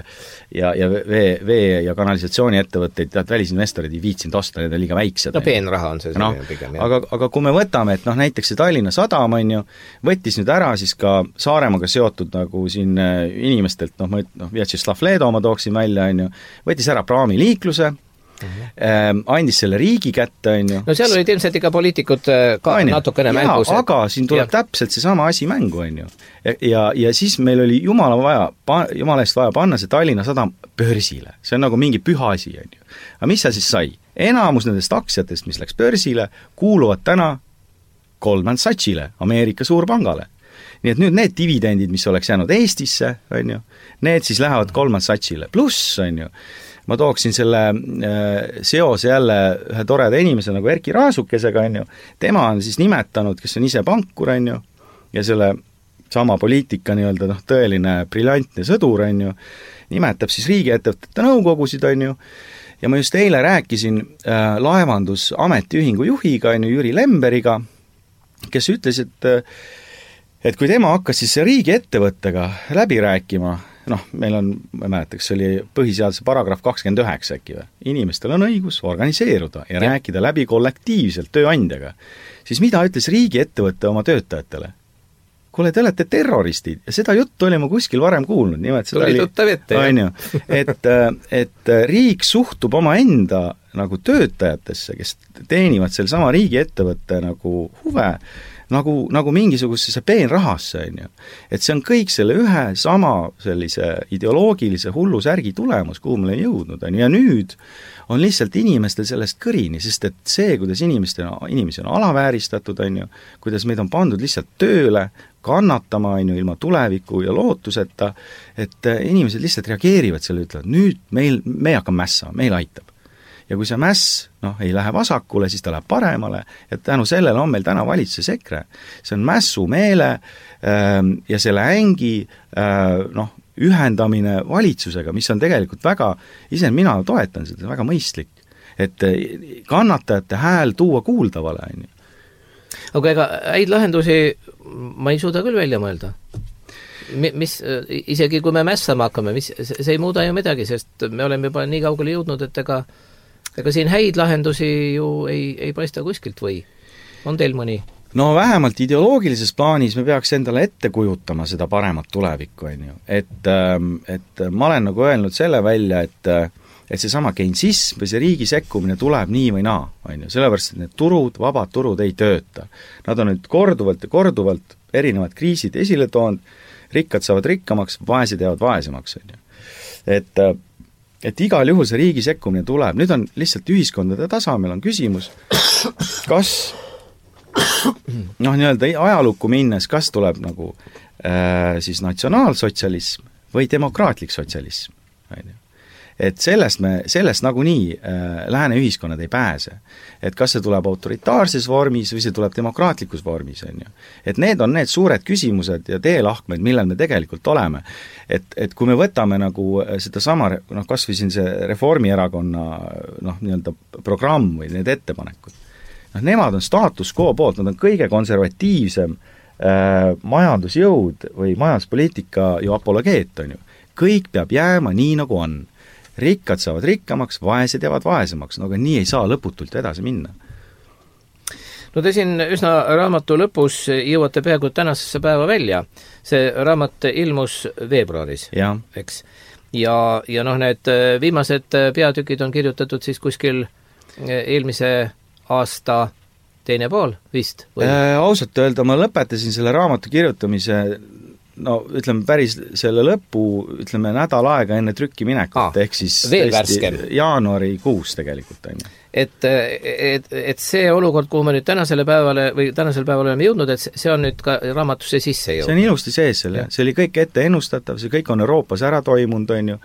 ja, ja vee, vee- ja kanalisatsiooni ettevõtteid, tead välisinvestorid ei viitsinud osta, need on liiga väiksed. No peenraha on see no, pigem. Aga, aga kui me võtame, et noh näiteks see Tallinna sadam, on ju, võttis nüüd ära siis ka Saaremaaga seotud nagu siin inimestelt, noh, ma no, Vjatšeslav Leedo ma tooksin välja, on ju, võttis ära praamiliikluse, Mm-hmm. andis selle riigi kätte, on ju. No seal olid ilmselt ikka poliitikud ka Aine. natukene ja, mängus. aga siin tuleb ja. täpselt seesama asi mängu, on ju. Ja, ja, ja siis meil oli jumala vaja, jumala eest vaja panna see Tallinna sadam börsile. See on nagu mingi püha asi, on ju. Aga mis sa siis sai? Enamus nendest aktsiatest, mis läks börsile, kuuluvad täna Goldman Sachsile, Ameerika suurpangale. Nii et nüüd need dividendid, mis oleks jäänud Eestisse, on ju, need siis lähevad Goldman Sachsile. Pluss, on ju, ma tooksin selle äh, seose jälle ühe toreda inimese nagu Erki Raasukesega, on ju, tema on siis nimetanud, kes on ise pankur, on ju, ja selle sama poliitika nii-öelda noh, tõeline briljantne sõdur, on ju, nimetab siis riigiettevõtete nõukogusid, on ju, ja ma just eile rääkisin äh, laevandusametiühingu juhiga, on ju, Jüri Lemberiga, kes ütles, et et kui tema hakkas siis riigiettevõttega läbi rääkima, noh, meil on, ma ei mäleta, kas oli põhiseaduse paragrahv kakskümmend üheksa äkki või, inimestel on õigus organiseeruda ja, ja rääkida läbi kollektiivselt tööandjaga, siis mida ütles riigiettevõtte oma töötajatele? kuule, te olete terroristid ja seda juttu oli ma kuskil varem kuulnud, nimelt seda tuli tuttav ette, jah. et, et riik suhtub oma enda nagu töötajatesse, kes teenivad selle sama riigiettevõtte nagu huve, nagu, nagu mingisugusesse peenrahasse, on ju. Et see on kõik selle ühe sama sellise ideoloogilise hullu särgi tulemus, kuhu me oleme jõudnud, on ju, ja nüüd on lihtsalt inimestel sellest kõrini, sest et see, kuidas inimestel, inimesi on alavääristatud, on ju, kuidas meid on pandud lihtsalt tööle, kannatama, on ju, ilma tuleviku ja lootuseta, et inimesed lihtsalt reageerivad selle, ütlevad, nüüd meil, me hakkame mässama, meil aitab. Ja kui see mäss noh, ei lähe vasakule, siis ta läheb paremale, ja tänu sellele on meil täna valitsuses EKRE. See on mässumeele äh, ja selle ängi äh, noh, ühendamine valitsusega, mis on tegelikult väga, ise mina toetan seda, väga mõistlik, et kannatajate hääl tuua kuuldavale, on ju. Aga ega häid lahendusi ma ei suuda küll välja mõelda. Mis, isegi kui me mässama hakkame, mis, see ei muuda ju midagi, sest me oleme juba nii kaugele jõudnud, et ega ega siin häid lahendusi ju ei, ei paista kuskilt või on teil mõni? No vähemalt ideoloogilises plaanis me peaks endale ette kujutama seda paremat tulevikku, on ju. Et, et ma olen nagu öelnud selle välja, et, et see sama keinsism või see riigi sekkumine tuleb nii või naa, on ju. Sellepärast, et need turud, vabad turud ei tööta. Nad on nüüd korduvalt ja korduvalt erinevad kriisid esile toonud, rikkad saavad rikkamaks, vaesed jäävad vaesemaks, on ju. Et et igal juhul see riigi sekkumine tuleb, nüüd on lihtsalt ühiskondade tasemel on küsimus, kas noh, nii-öelda ajalukku minnes, kas tuleb nagu äh, siis natsionaalsotsialism või demokraatlik sotsialism, on ju. Et sellest me, sellest nagunii äh, lääne ühiskonnad ei pääse. Et kas see tuleb autoritaarses vormis või see tuleb demokraatlikus vormis, on ju. Et need on need suured küsimused ja teelahkmed, millel me tegelikult oleme. Et, et kui me võtame nagu seda sama, noh, kas või siin see Reformierakonna noh, nii-öelda programm või need ettepanekud, noh, nemad on status quo poolt, nad on kõige konservatiivsem äh, majandusjõud või majanduspoliitika ju apologeet, on ju. Kõik peab jääma nii, nagu on. Rikkad saavad rikkamaks, vaesed jäävad vaesemaks, no aga nii ei saa lõputult edasi minna. No te siin üsna raamatu lõpus jõuate peaaegu tänasesse päeva välja. See raamat ilmus veebruaris, eks? Ja, ja noh, need viimased peatükid on kirjutatud siis kuskil eelmise aasta teine pool vist? Äh, ausalt öelda, ma lõpetasin selle raamatu kirjutamise no ütleme päris selle lõpu, ütleme nädal aega enne trükki minekut, ah, ehk siis veel värskem. jaanuarikuus tegelikult on. Et, et, et see olukord, kuhu me nüüd tänasele päevale või tänasel päeval oleme jõudnud, et see on nüüd ka raamatusse sisse jõudnud. See on ilusti sees selle, see oli kõik ette ennustatav, see kõik on Euroopas ära toimunud, on ju.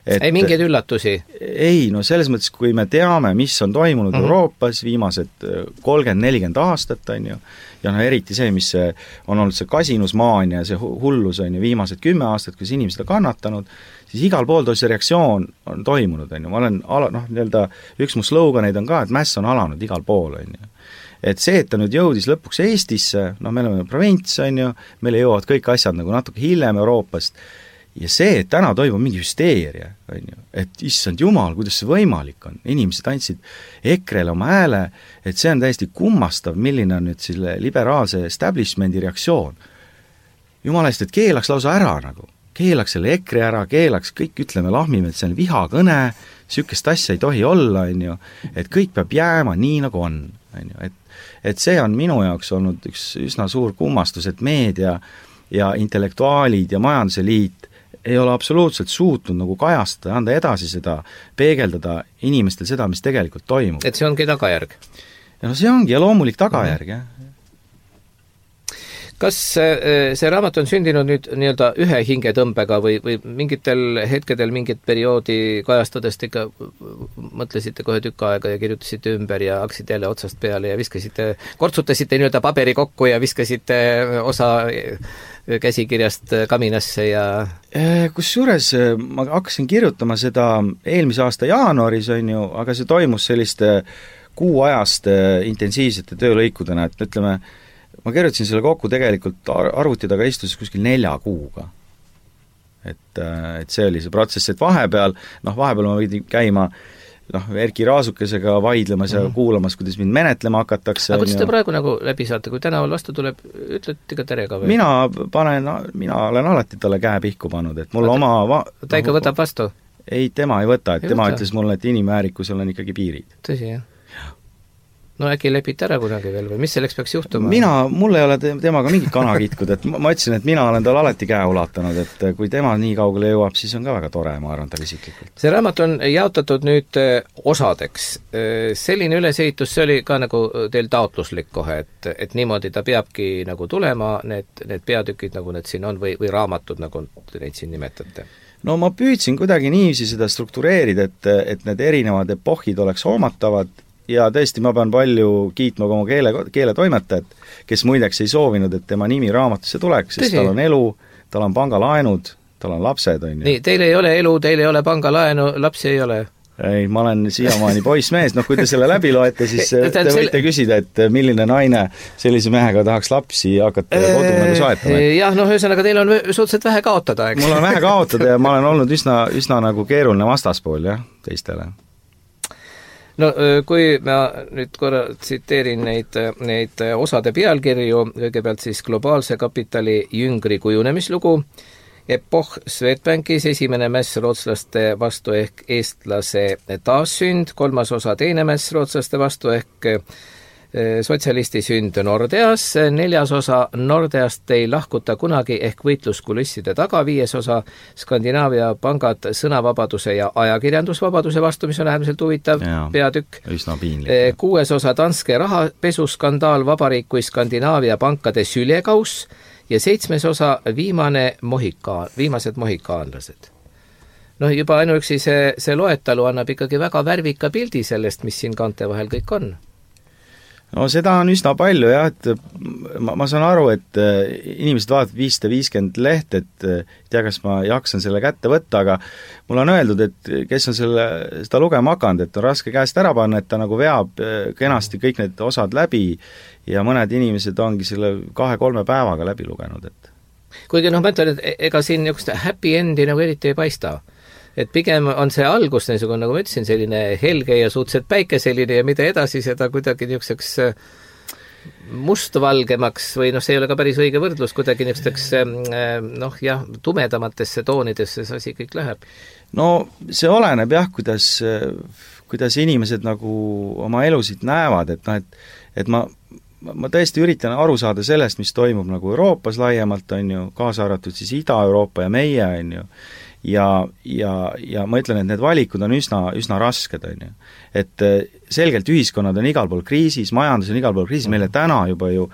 Et, ei mingeid üllatusi? Ei, no selles mõttes, kui me teame, mis on toimunud mm-hmm. Euroopas viimased kolmkümmend nelikümmend aastat, on ju, ja no eriti see, mis see, on olnud see kasinusmaania ja see hullus on ju viimased kümme aastat, kus inimesed on kannatanud, siis igal pool see reaktsioon on toimunud, on ju, ma olen ala, noh, nii-öelda üks mu sloganeid on ka, et mäss on alanud igal pool, on ju. Et see, et ta nüüd jõudis lõpuks Eestisse, noh, me oleme provints, on ju, meile jõuavad kõik asjad nagu natuke hiljem Euroopast, ja see, et täna toimub mingi hüsteeria, on ju, et issand jumal, kuidas see võimalik on, inimesed andsid EKRE-le oma hääle, et see on täiesti kummastav, milline on nüüd selle liberaalse establishmendi reaktsioon. Jumala eest, et keelaks lausa ära nagu, keelaks selle EKRE ära, keelaks kõik, ütleme, lahmime, et see on vihakõne, sükest asja ei tohi olla, on ju, et kõik peab jääma nii, nagu on, on ju, et, et see on minu jaoks olnud üks üsna suur kummastus, et meedia ja intellektuaalid ja majanduse liit ei ole absoluutselt suutnud nagu kajastada, anda edasi seda, peegeldada inimestel seda, mis tegelikult toimub. Et see ongi tagajärg? Ja no see ongi ja loomulik tagajärg, jah. Kas see raamat on sündinud nüüd nii-öelda ühe hingetõmbega või, või mingitel hetkedel mingit perioodi kajastades te ikka mõtlesite kohe tükk aega ja kirjutasite ümber ja hakkasite jälle otsast peale ja viskasite, kortsutasite nii-öelda paberi kokku ja viskasite osa käsikirjast kaminasse ja kusjuures ma hakkasin kirjutama seda eelmise aasta jaanuaris, on ju, aga see toimus selliste kuuajaste intensiivsete töölõikudena, et ütleme, ma kirjutasin selle kokku tegelikult arvuti taga istuses kuskil nelja kuuga. Et, et see oli see protsess, et vahepeal, noh, vahepeal ma võidin käima noh, Erki Raasukesega vaidlemas ja mm. kuulamas, kuidas mind menetlema hakatakse. aga kuidas te praegu nagu läbi saate, kui tänaval vastu tuleb, ütlete ka tere ka või? Mina panen, mina olen alati talle käe pihku pannud, et mul Vaata, oma va-, ta ikka no, võtab vastu? Ei, tema ei võta, et ei tema võta. Ütles mulle, et inimväärikusel on ikkagi piirid. Tõsi, jah? No äkki lepite ära kunagi veel või mis selleks peaks juhtuma? Mina, mul ei ole temaga mingit kana kitkud, et ma ütlesin, et mina olen tal alati käe ulatanud, et kui tema nii kaugele jõuab, siis on ka väga tore, ma arvan tal isiklikult. See raamat on jaotatud nüüd osadeks. Selline ülesehitus, see oli ka nagu teil taotluslik kohe, et, et niimoodi ta peabki nagu tulema, need, need peatükid, nagu need siin on, või, või raamatud, nagu te neid siin nimetate? No ma püüdsin kuidagi niiviisi seda struktureerida, et, et need erinevad epohid oleks hoomatavad, ja tõesti, ma pean palju kiitma oma keele, keeletoimetajat, kes muideks ei soovinud, et tema nimi raamatusse tuleks, sest Tõsi. Tal on elu, tal on pangalaenud, tal on lapsed, on ju. Nii, teil ei ole elu, teil ei ole pangalaenu, lapsi ei ole? Ei, ma olen siiamaani poissmees, noh kui te selle läbi loete, siis te võite küsida, et milline naine sellise mehega tahaks lapsi hakata kodu nagu soetama. Jah, noh, ühesõnaga teil on suhteliselt vähe kaotada, eks? Mul on vähe kaotada ja ma olen olnud üsna, üsna nagu keeruline vastaspool, jah, teistele. No kui ma nüüd korra tsiteerin neid, neid osade pealkirju, kõigepealt siis globaalse kapitali jüngri kujunemislugu, epoh Swedbankis, esimene mäss rootslaste vastu ehk eestlase taassünd, kolmas osa teine mäss rootslaste vastu ehk sotsialisti sünd Nordeas, neljas osa Nordeast ei lahkuta kunagi ehk võitluskulisside taga, viies osa Skandinaavia pangad sõnavabaduse ja ajakirjandusvabaduse vastu, mis on äärmiselt huvitav ja, peatükk. Üsna piinlik. Kuues osa Danske rahapesuskandaal, vabariik kui Skandinaavia pankade sülekauss ja seitsmes osa viimane mohikaan, viimased mohikaanlased. Noh, juba ainuüksi see, see loetalu annab ikkagi väga värvika pildi sellest, mis siin kaante vahel kõik on. No seda on üsna palju jah, et ma, ma saan aru, et inimesed vaatavad viissada viiskümmend leht, et tea, kas ma jaksan selle kätte võtta, aga mul on öeldud, et kes on selle, seda lugema hakanud, et on raske käest ära panna, et ta nagu veab kenasti kõik need osad läbi ja mõned inimesed ongi selle kahe-kolme päevaga läbi lugenud. Et. Kuigi noh, ma ütlen, et ega siin niisugust happy endi nagu eriti ei paista. Et pigem on see algus, niisugune, nagu ma ütlesin, selline helge ja suhteliselt päikeseline ja mida edasi seda kuidagi niisuguseks mustvalgemaks või noh, see ei ole ka päris õige võrdlus, kuidagi niisuguseks noh jah, tumedamatesse toonidesse see asi kõik läheb. No see oleneb jah, kuidas, kuidas inimesed nagu oma elusid näevad, et noh, et, et ma ma tõesti üritan aru saada sellest, mis toimub nagu Euroopas laiemalt, on ju, kaasa arvatud siis Ida-Euroopa ja meie, on ju, ja, ja, ja ma ütlen, et need valikud on üsna, üsna rasked, on ju. Et selgelt ühiskonnad on igal pool kriisis, majandus on igal pool kriisis, meile täna juba ju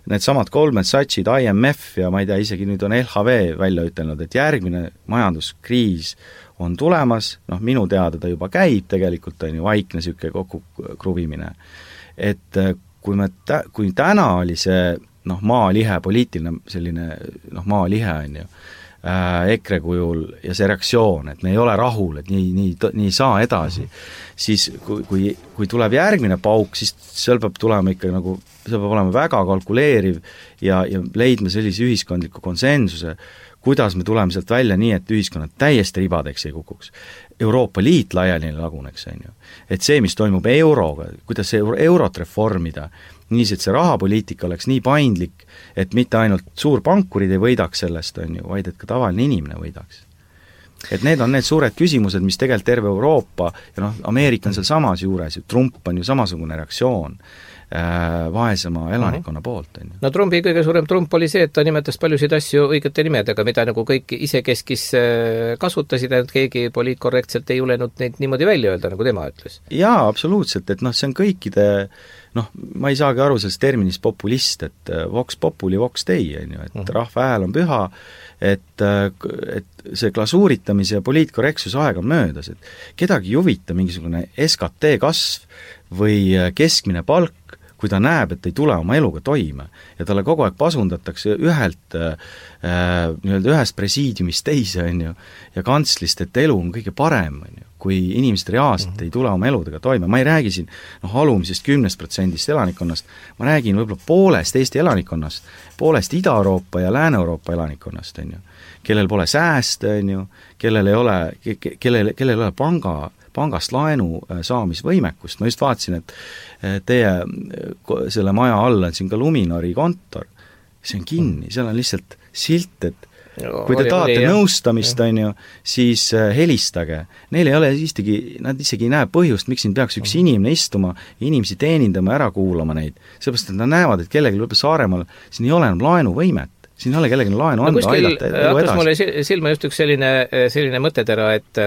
need samad Goldman Sachsid, I M F ja ma ei tea, isegi nüüd on L H V välja ütelnud, et järgmine majanduskriis on tulemas, noh minu teada ta juba käib tegelikult, on ju, vaikne niisugune kokkukruvimine. Et kui me tä-, kui täna oli see noh, maalihe, poliitiline selline noh, maalihe on ju, äh, EKRE kujul ja see reaktsioon, et me ei ole rahul, et nii, nii, nii ei saa edasi, siis kui, kui, kui tuleb järgmine pauk, siis seal peab tulema ikka nagu, see peab olema väga kalkuleeriv ja, ja leidma sellise ühiskondliku konsensuse, kuidas me tuleme sealt välja nii, et ühiskonnad täiesti ribadeks ei kukuks. Euroopa Liit laiali laguneks, on ju. Et see, mis toimub euroga, kuidas see eurot reformida, nii et see rahapoliitika oleks nii paindlik, et mitte ainult suurpankurid ei võidaks sellest, on ju, vaid et ka tavaline inimene võidaks. Et need on need suured küsimused, mis tegelikult terve Euroopa ja noh, Ameerika on seal samas juures, Trump on ju samasugune reaktsioon vaesema elanikkonna poolt. On ju. No Trumpi kõige suurem Trump oli see, et ta nimetas paljusid asju õigete nimedega, mida nagu kõik isekeskis kasutasid, et keegi poliitkorrektselt ei julenud neid niimoodi välja öelda, nagu tema ütles. Jaa, absoluutselt, et noh, see on kõikide noh, ma ei saagi aru sellest terminist populist, et vox populi, vox dei, on ju, et mm. rahva hääl on püha, et, et see glasuuritamise ja poliitkorrektsuse aeg on möödas, et kedagi ei huvita mingisugune S K T kasv või keskmine palk, kui ta näeb, et ei tule oma eluga toime ja talle kogu aeg pasundatakse ühelt äh, nii-öelda ühest presiidiumist teise, on ju, ja kantslist, et elu on kõige parem, on ju, kui inimesed reaalselt mm-hmm. ei tule oma eludega toime. Ma ei räägi siin noh, alumisest kümnest protsendist elanikkonnast, ma räägin võib-olla poolest Eesti elanikkonnast, poolest Ida-Euroopa ja Lääne-Euroopa elanikkonnast, on ju, kellel pole sääste, on ju, kellel ei ole, kellel, kellel ei ole panga pangast laenu saamisvõimekust. Ma just vaatasin, et teie selle maja all on siin ka Luminori kontor, see on kinni, seal on lihtsalt silt, et no, kui te oli, tahate oli, nõustamist, on ju, siis helistage. Neil ei ole isegi, nad isegi ei näe põhjust, miks siin peaks üks inimene istuma, inimesi teenindama, ära kuulama neid. Seepärast, et nad näevad, et kellegi lõpe Saaremaal, siin ei ole enam laenuvõimet, siin ei ole kellegi laenu anda, no, aidata elu edasi. Hakkas mulle silma just üks selline, selline mõttetera, et,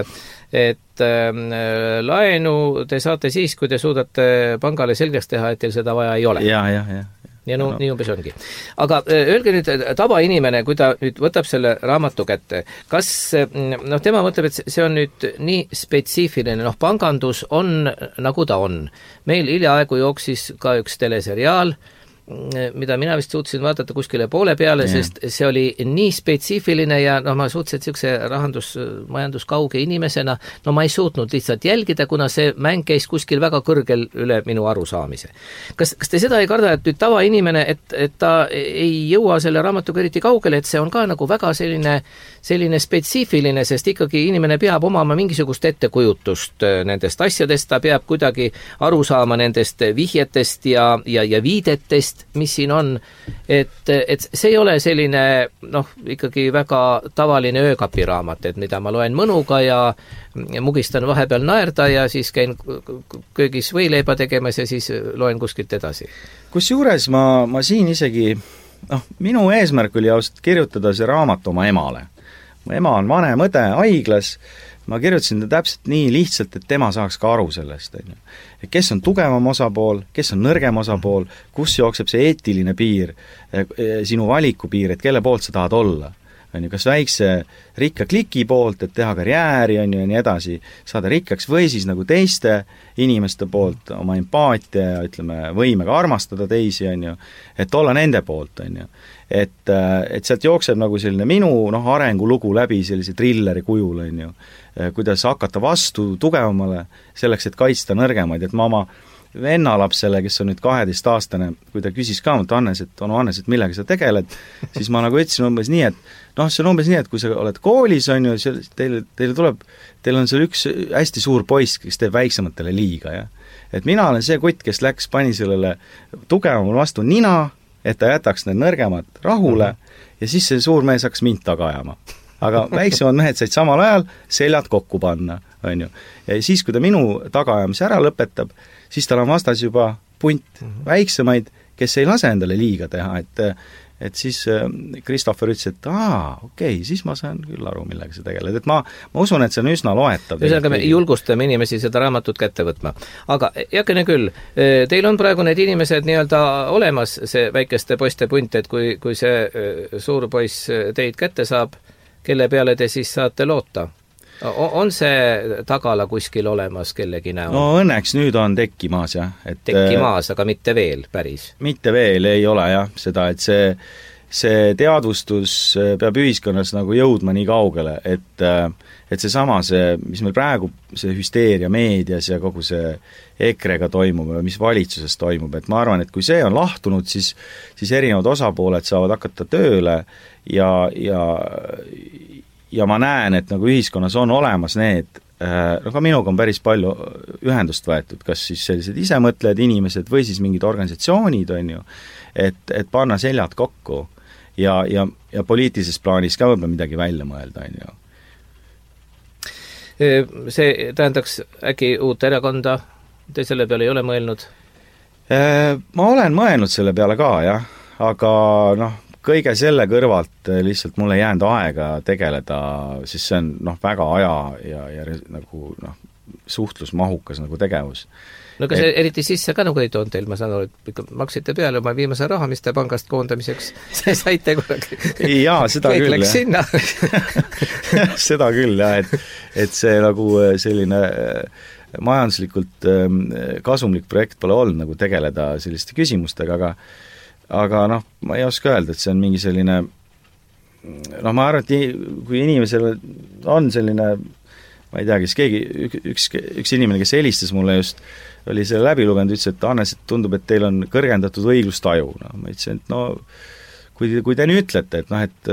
et äh, laenu te saate siis, kui te suudate pangale selgeks teha, et teil seda vaja ei ole. Ja, ja, ja. ja no, no nii umbes ongi. Aga öelge nüüd, tavainimene, kui ta nüüd võtab selle raamatu kätte, kas noh, tema mõtleb, et see on nüüd nii spetsiifiline, noh, pangandus on nagu ta on. Meil hiljaaegu jooksis ka üks teleseriaal, mida mina vist suutsin vaadata kuskile poole peale, yeah. sest see oli nii spetsiifiline ja noh, ma suutsin niisuguse rahandus, majanduskauge inimesena, no ma ei suutnud lihtsalt jälgida, kuna see mäng käis kuskil väga kõrgel üle minu arusaamise. Kas, kas te seda ei karda, et nüüd tavainimene, et, et ta ei jõua selle raamatuga eriti kaugele, et see on ka nagu väga selline, selline spetsiifiline, sest ikkagi inimene peab omama mingisugust ettekujutust nendest asjadest, ta peab kuidagi aru saama nendest vihjetest ja, ja, ja viidetest, mis siin on, et, et see ei ole selline noh, ikkagi väga tavaline öökapiraamat, et mida ma loen mõnuga ja mugistan vahepeal naerda ja siis käin köögis võileiba tegemas ja siis loen kuskilt edasi. Kusjuures ma, ma siin isegi, noh, minu eesmärk oli ausalt kirjutada see raamat oma emale. Mu ema on vanem õde haiglas, ma kirjutasin ta täpselt nii lihtsalt, et tema saaks ka aru sellest, on ju. Kes on tugevam osapool, kes on nõrgem osapool, kus jookseb see eetiline piir, sinu valiku piir, et kelle poolt sa tahad olla. On ju, kas väikse rikka kliki poolt, et teha karjääri, on ju, ja nii edasi, saada rikkaks või siis nagu teiste inimeste poolt oma empaatia ja ütleme, võimega armastada teisi, on ju, et olla nende poolt, on ju. Et, et sealt jookseb nagu selline minu noh, arengulugu läbi sellise trilleri kujul, on ju, kuidas hakata vastu tugevamale selleks, et kaitsta nõrgemaid, et ma oma vennalapsele, kes on nüüd kaheteistaastane, kui ta küsis ka, et Hannes, et on Hannes, et millega sa tegeled, siis ma nagu ütlesin umbes nii, et noh, see on umbes nii, et kui sa oled koolis, on ju, teil, teil tuleb, teil on seal üks hästi suur poiss, kes teeb väiksematele liiga, ja et mina olen see kutt, kes läks, pani sellele tugevamal vastu nina, et ta jätaks need nõrgemad rahule mm-hmm. ja siis see suur mees hakkas mind taga ajama. Aga väiksemad mehed said samal ajal seljad kokku panna, on ju. Ja siis, kui ta minu tagaajamise ära lõpetab, siis tal on vastas juba punt mm-hmm. väiksemaid, kes ei lase endale liiga teha, et et siis Christopher ütles, et aa, okei, okay, siis ma saan küll aru, millega sa tegeled. Et ma, ma usun, et see on üsna loetav. Ühesõnaga me julgustame inimesi seda raamatut kätte võtma. Aga jakene küll, teil on praegu need inimesed nii-öelda olemas, see väikeste poiste punt, et kui, kui see suur poiss teid kätte saab, kelle peale te siis saate loota? On see tagala kuskil olemas kellegi näol? No õnneks nüüd on tekkimaas, jah. Et, tekkimaas, aga mitte veel, päris? Mitte veel ei ole, jah, seda, et see, see teadvustus peab ühiskonnas nagu jõudma nii kaugele, et, et see sama, see, mis meil praegu, see hüsteeria meedias ja kogu see ekrega toimub ja mis valitsuses toimub, et ma arvan, et kui see on lahtunud, siis, siis erinevad osapooled saavad hakata tööle ja, ja ja ma näen, et nagu ühiskonnas on olemas need, no ka minuga on päris palju ühendust võetud, kas siis sellised isemõtlejad inimesed või siis mingid organisatsioonid, on ju, et, et panna seljad kokku ja, ja, ja poliitilises plaanis ka võib-olla midagi välja mõelda, on ju. See tähendaks äkki uut erakonda, te selle peale ei ole mõelnud? Ma olen mõelnud selle peale ka, jah, aga noh, kõige selle kõrvalt lihtsalt mulle ei jäänud aega tegeleda, siis see on noh, väga aja ja, ja nagu noh, suhtlusmahukas nagu tegevus. No kas et... eriti sisse ka nagu ei toonud teil, ma saan aru, et ikka maksite peale oma viimase raha, mis te pangast koondamiseks saite kunagi. Jaa, seda kõik küll. Kõik läks sinna. seda küll, jah, et, et see nagu selline majanduslikult kasumlik projekt pole olnud nagu tegeleda selliste küsimustega, aga aga noh, ma ei oska öelda, et see on mingi selline noh, ma arvan, et kui inimesel on selline ma ei tea, kes keegi, üks, üks inimene, kes helistas mulle just, oli selle läbi lugenud, ütles, et Hannes, et tundub, et teil on kõrgendatud õiglustaju. No, ma ütlesin, et no kui, kui te nii ütlete, et noh, et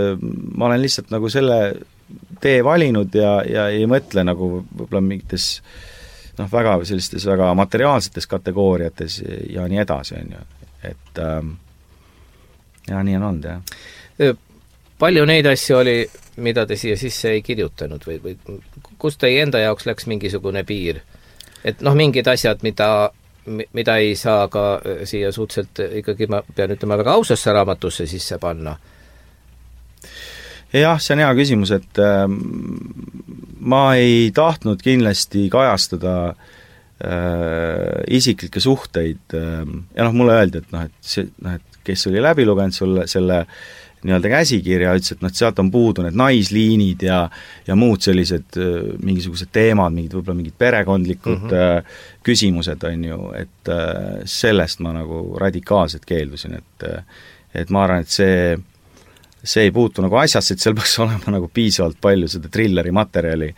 ma olen lihtsalt nagu selle tee valinud ja, ja ei mõtle nagu võib-olla mingites noh, väga sellistes väga materiaalsetes kategooriates ja nii edasi, on ju. Et ähm, ja nii on olnud, jah. Palju neid asju oli, mida te siia sisse ei kirjutanud või, või kus teie enda jaoks läks mingisugune piir? Et noh, mingid asjad, mida mida ei saa ka siia suhteliselt ikkagi, ma pean ütlema, väga ausasse raamatusse sisse panna? Jah, see on hea küsimus, et äh, ma ei tahtnud kindlasti kajastada äh, isiklikke suhteid äh, ja noh, mulle öeldi, et noh, et see, noh, et kes oli läbi lugenud sulle selle nii-öelda käsikirja, ütles, et noh, sealt on puudu need naisliinid ja, ja muud sellised äh, mingisugused teemad, mingid võib-olla mingid perekondlikud mm -hmm. äh, küsimused, on ju, et äh, sellest ma nagu radikaalselt keeldusin, et äh, et ma arvan, et see see ei puutu nagu asjasse, et seal peaks olema nagu piisavalt palju seda trilleri materjali,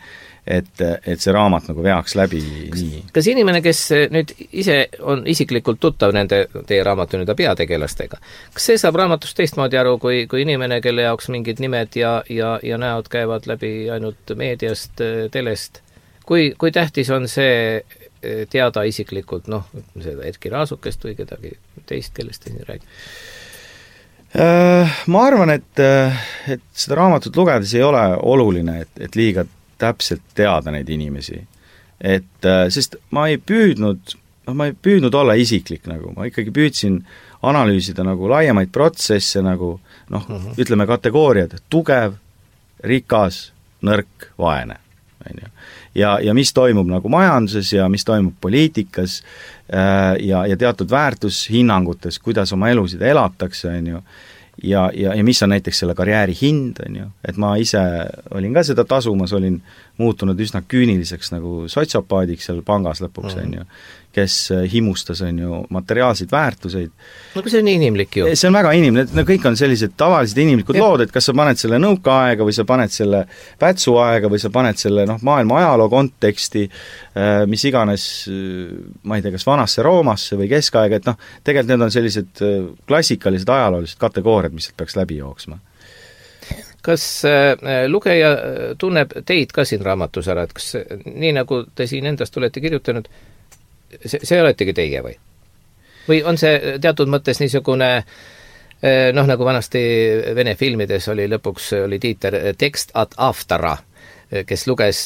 et, et see raamat nagu veaks läbi nii. Kas inimene, kes nüüd ise on isiklikult tuttav nende teie raamatu nüüd peategelastega, kas see saab raamatust teistmoodi aru, kui, kui inimene, kelle jaoks mingid nimed ja, ja, ja näod käivad läbi ainult meediast, telest, kui, kui tähtis on see teada isiklikult, noh, seda Erki Raasukest või kedagi teist, kellest te siin räägite? Ma arvan, et, et seda raamatut lugedes ei ole oluline, et, et liiga täpselt teada neid inimesi. Et, sest ma ei püüdnud, ma ei püüdnud olla isiklik nagu, ma ikkagi püüdsin analüüsida nagu laiemaid protsesse nagu noh, uh-huh. ütleme kategooriad, tugev, rikas, nõrk, vaene. Ja, ja mis toimub nagu majanduses ja mis toimub poliitikas ja, ja teatud väärtushinnangutes, kuidas oma elusid elatakse, on ju, ja, ja, ja mis on näiteks selle karjääri hind, on ju, et ma ise olin ka seda tasumas, olin muutunud üsna küüniliseks nagu sotsiopaadiks seal pangas lõpuks, on ju, kes himustas, on ju, materiaalseid väärtuseid. No kui see on inimlik ju. See on väga inimlik, no kõik on sellised tavalised inimlikud ja. Lood, et kas sa paned selle nõukaaega või sa paned selle pätsuaega või sa paned selle noh, maailma ajaloo konteksti, mis iganes, ma ei tea, kas vanasse Roomasse või keskaega, et noh, tegelikult need on sellised klassikalised ajaloolised kategooriad, mis peaks läbi jooksma. Kas äh, lugeja tunneb teid ka siin raamatus ära, et kas nii nagu te siin endast olete kirjutanud, see, see oletegi teie või? Või on see teatud mõttes niisugune noh, nagu vanasti Vene filmides oli lõpuks, oli tiiter tekst ad aftara, kes luges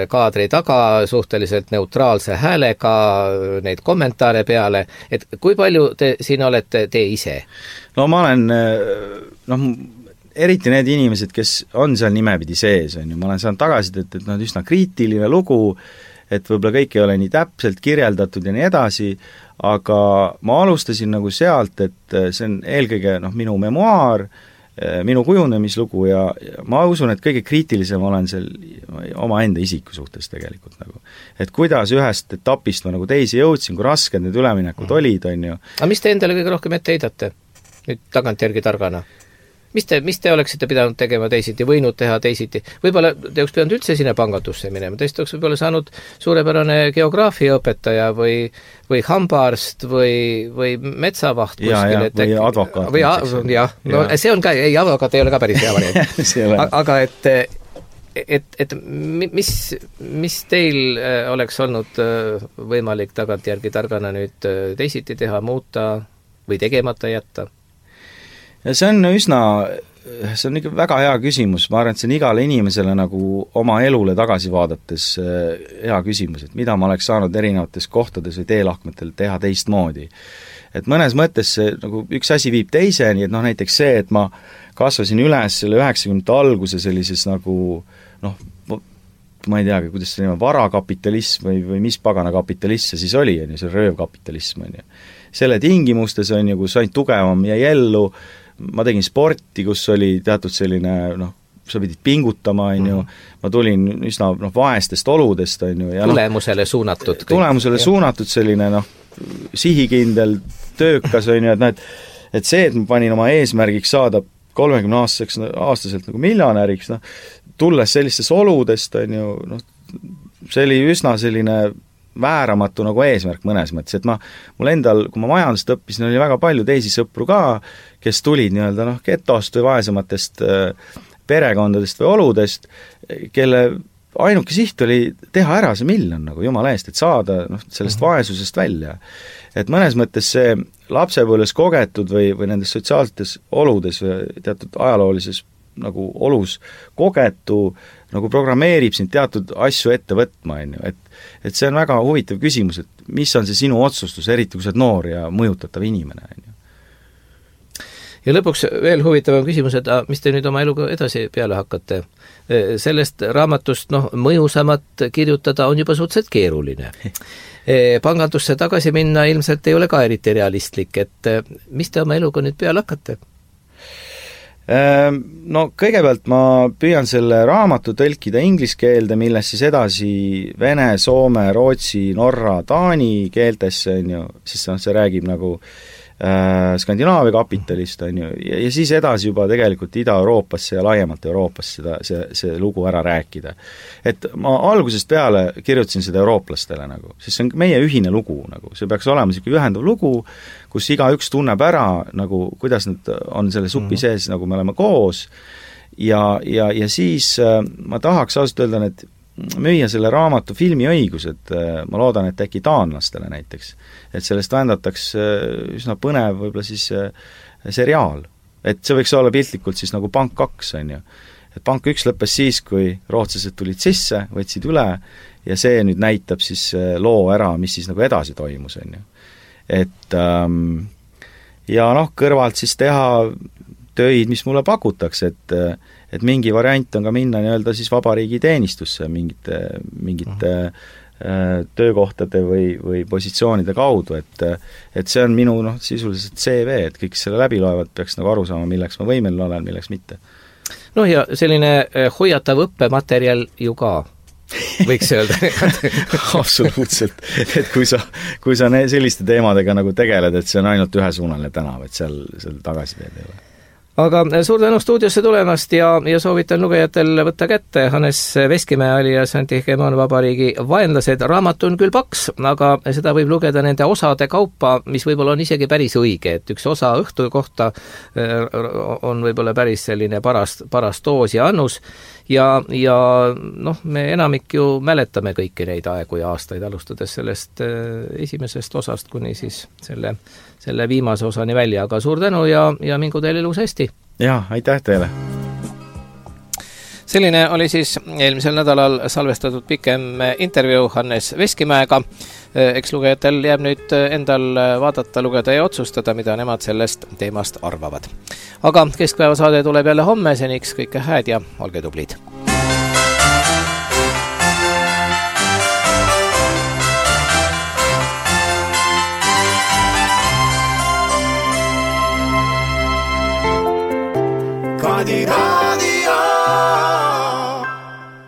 kaadri taga suhteliselt neutraalse häälega neid kommentaare peale, et kui palju te siin olete te ise? No ma olen noh, eriti need inimesed, kes on seal nimepidi sees, on ju, ma olen saanud tagasi, et, et nad üsna kriitiline lugu, et võib-olla kõik ei ole nii täpselt kirjeldatud ja nii edasi, aga ma alustasin nagu sealt, et see on eelkõige noh, minu memuaar, minu kujunemislugu ja, ja ma usun, et kõige kriitilisem olen seal omaenda isiku suhtes tegelikult nagu. Et kuidas ühest etapist ma nagu teisi jõudsin, kui rasked need üleminekud mm. olid, on ju. Aga mis te endale kõige rohkem ette heidate? Nüüd tagantjärgi targana? Mis te, mis te oleksite pidanud tegema teisiti, võinud teha teisiti? Võib-olla te oleks pidanud üldse sinna pangandusse minema, teist oleks võib-olla saanud suurepärane geograafiaõpetaja või, või hambaarst või, või metsavaht ja, ja, või advokaat. Või a, jah, no ja. See on ka, ei, advokaat ei ole ka päris hea variant. Aga et, et, et mis, mis teil oleks olnud võimalik tagantjärgi targana nüüd teisiti teha, muuta või tegemata jätta? Ja see on üsna, see on ikka väga hea küsimus, ma arvan, et see on igale inimesele nagu oma elule tagasi vaadates hea küsimus, et mida ma oleks saanud erinevates kohtades või teelahkmetel teha teistmoodi. Et mõnes mõttes see, nagu üks asi viib teiseni, et noh, näiteks see, et ma kasvasin üles selle üheksakümnendate alguse sellises nagu noh, ma ei teagi, kuidas see nime, varakapitalism või, või mis pagana kapitalist see siis oli, on ju, see röövkapitalism, on ju. Selle tingimustes on ju, kus ainult tugevam jäi ellu, ma tegin sporti, kus oli teatud selline, noh, sa pidid pingutama, on ju, ma tulin üsna noh, vaestest oludest, on ju. Ja tulemusele no, suunatud. Tulemusele kõik. Suunatud selline, noh, sihikindel, töökas, on ju, et noh, et, et see, et ma panin oma eesmärgiks saada kolmekümne aastaseks, aastaselt nagu miljonäriks, noh, tulles sellistest oludest, on ju, noh, see oli üsna selline vääramatu nagu eesmärk mõnes mõttes, et ma, mul endal, kui ma majandust õppisin, oli väga palju teisi sõpru ka, kes tulid nii-öelda noh, getost või vaesematest perekondadest või oludest, kelle ainuke siht oli teha ära see miljon nagu jumala eest, et saada noh, sellest vaesusest välja. Et mõnes mõttes see lapsepõlves kogetud või, või nendes sotsiaalsetes oludes või teatud ajaloolises nagu olus kogetu nagu programmeerib sind teatud asju ette võtma, on ju, et, et see on väga huvitav küsimus, et mis on see sinu otsustus, eriti kui sa oled noor ja mõjutatav inimene, on ju. Ja lõpuks veel huvitavam küsimus, et mis te nüüd oma eluga edasi peale hakkate? Sellest raamatust noh, mõjusamat kirjutada on juba suhteliselt keeruline. Pangandusse tagasi minna ilmselt ei ole ka eriti realistlik, et mis te oma eluga nüüd peale hakkate? No kõigepealt ma püüan selle raamatu tõlkida inglise keelde, millest siis edasi vene, soome, rootsi, norra, taani keeltesse, on ju, siis see räägib nagu Skandinaavia kapitalist, on ju, ja, ja siis edasi juba tegelikult Ida-Euroopasse ja laiemalt Euroopasse seda, see, see lugu ära rääkida. Et ma algusest peale kirjutasin seda eurooplastele nagu, sest see on meie ühine lugu nagu, see peaks olema selline ühendav lugu, kus igaüks tunneb ära nagu, kuidas nad on selle supi sees, nagu me oleme koos, ja, ja, ja siis ma tahaks ausalt öelda, et müüa selle raamatu filmiõigused, ma loodan, et äkki taanlastele näiteks, et sellest vändataks üsna põnev võib-olla siis seriaal, et see võiks olla piltlikult siis nagu Pank kaks, on ju, et Pank üks lõppes siis, kui rootslased tulid sisse, võtsid üle ja see nüüd näitab siis loo ära, mis siis nagu edasi toimus, on ju, et ähm, ja noh, kõrvalt siis teha töid, mis mulle pakutakse, et et mingi variant on ka minna nii-öelda siis vabariigi teenistusse mingite, mingite äh, töökohtade või, või positsioonide kaudu, et et see on minu noh, sisuliselt C V, et kõik selle läbi loevad, peaks nagu aru saama, milleks ma võimeline olen, milleks mitte. Noh ja selline hoiatav õppematerjal ju ka, võiks öelda. Absoluutselt, et kui sa, kui sa selliste teemadega nagu tegeled, et see on ainult ühesuunaline tänav, et seal, seal tagasiteed ei ole. Aga suur tänu stuudiosse tulemast ja, ja soovitan lugejatel võtta kätte Hannes Veskimäe alias Anti-Hegemoon vabariigi vaenlased. Raamat on küll paks, aga seda võib lugeda nende osade kaupa, mis võib-olla on isegi päris õige, et üks osa õhtu kohta on võib-olla päris selline paras, paras doos ja annus ja, ja noh, me enamik ju mäletame kõiki neid aegu ja aastaid, alustades sellest esimesest osast kuni siis selle selle viimase osani välja, aga suur tänu ja, ja mingu teile elus hästi. Jaa, aitäh teile. Selline oli siis eelmisel nädalal salvestatud pikem intervjuu Hannes Veskimäega. Eks lugejatel jääb nüüd endal vaadata, lugeda ja otsustada, mida nemad sellest teemast arvavad. Aga keskpäevasaade tuleb jälle homme, seniks kõike hääd ja olge tublid.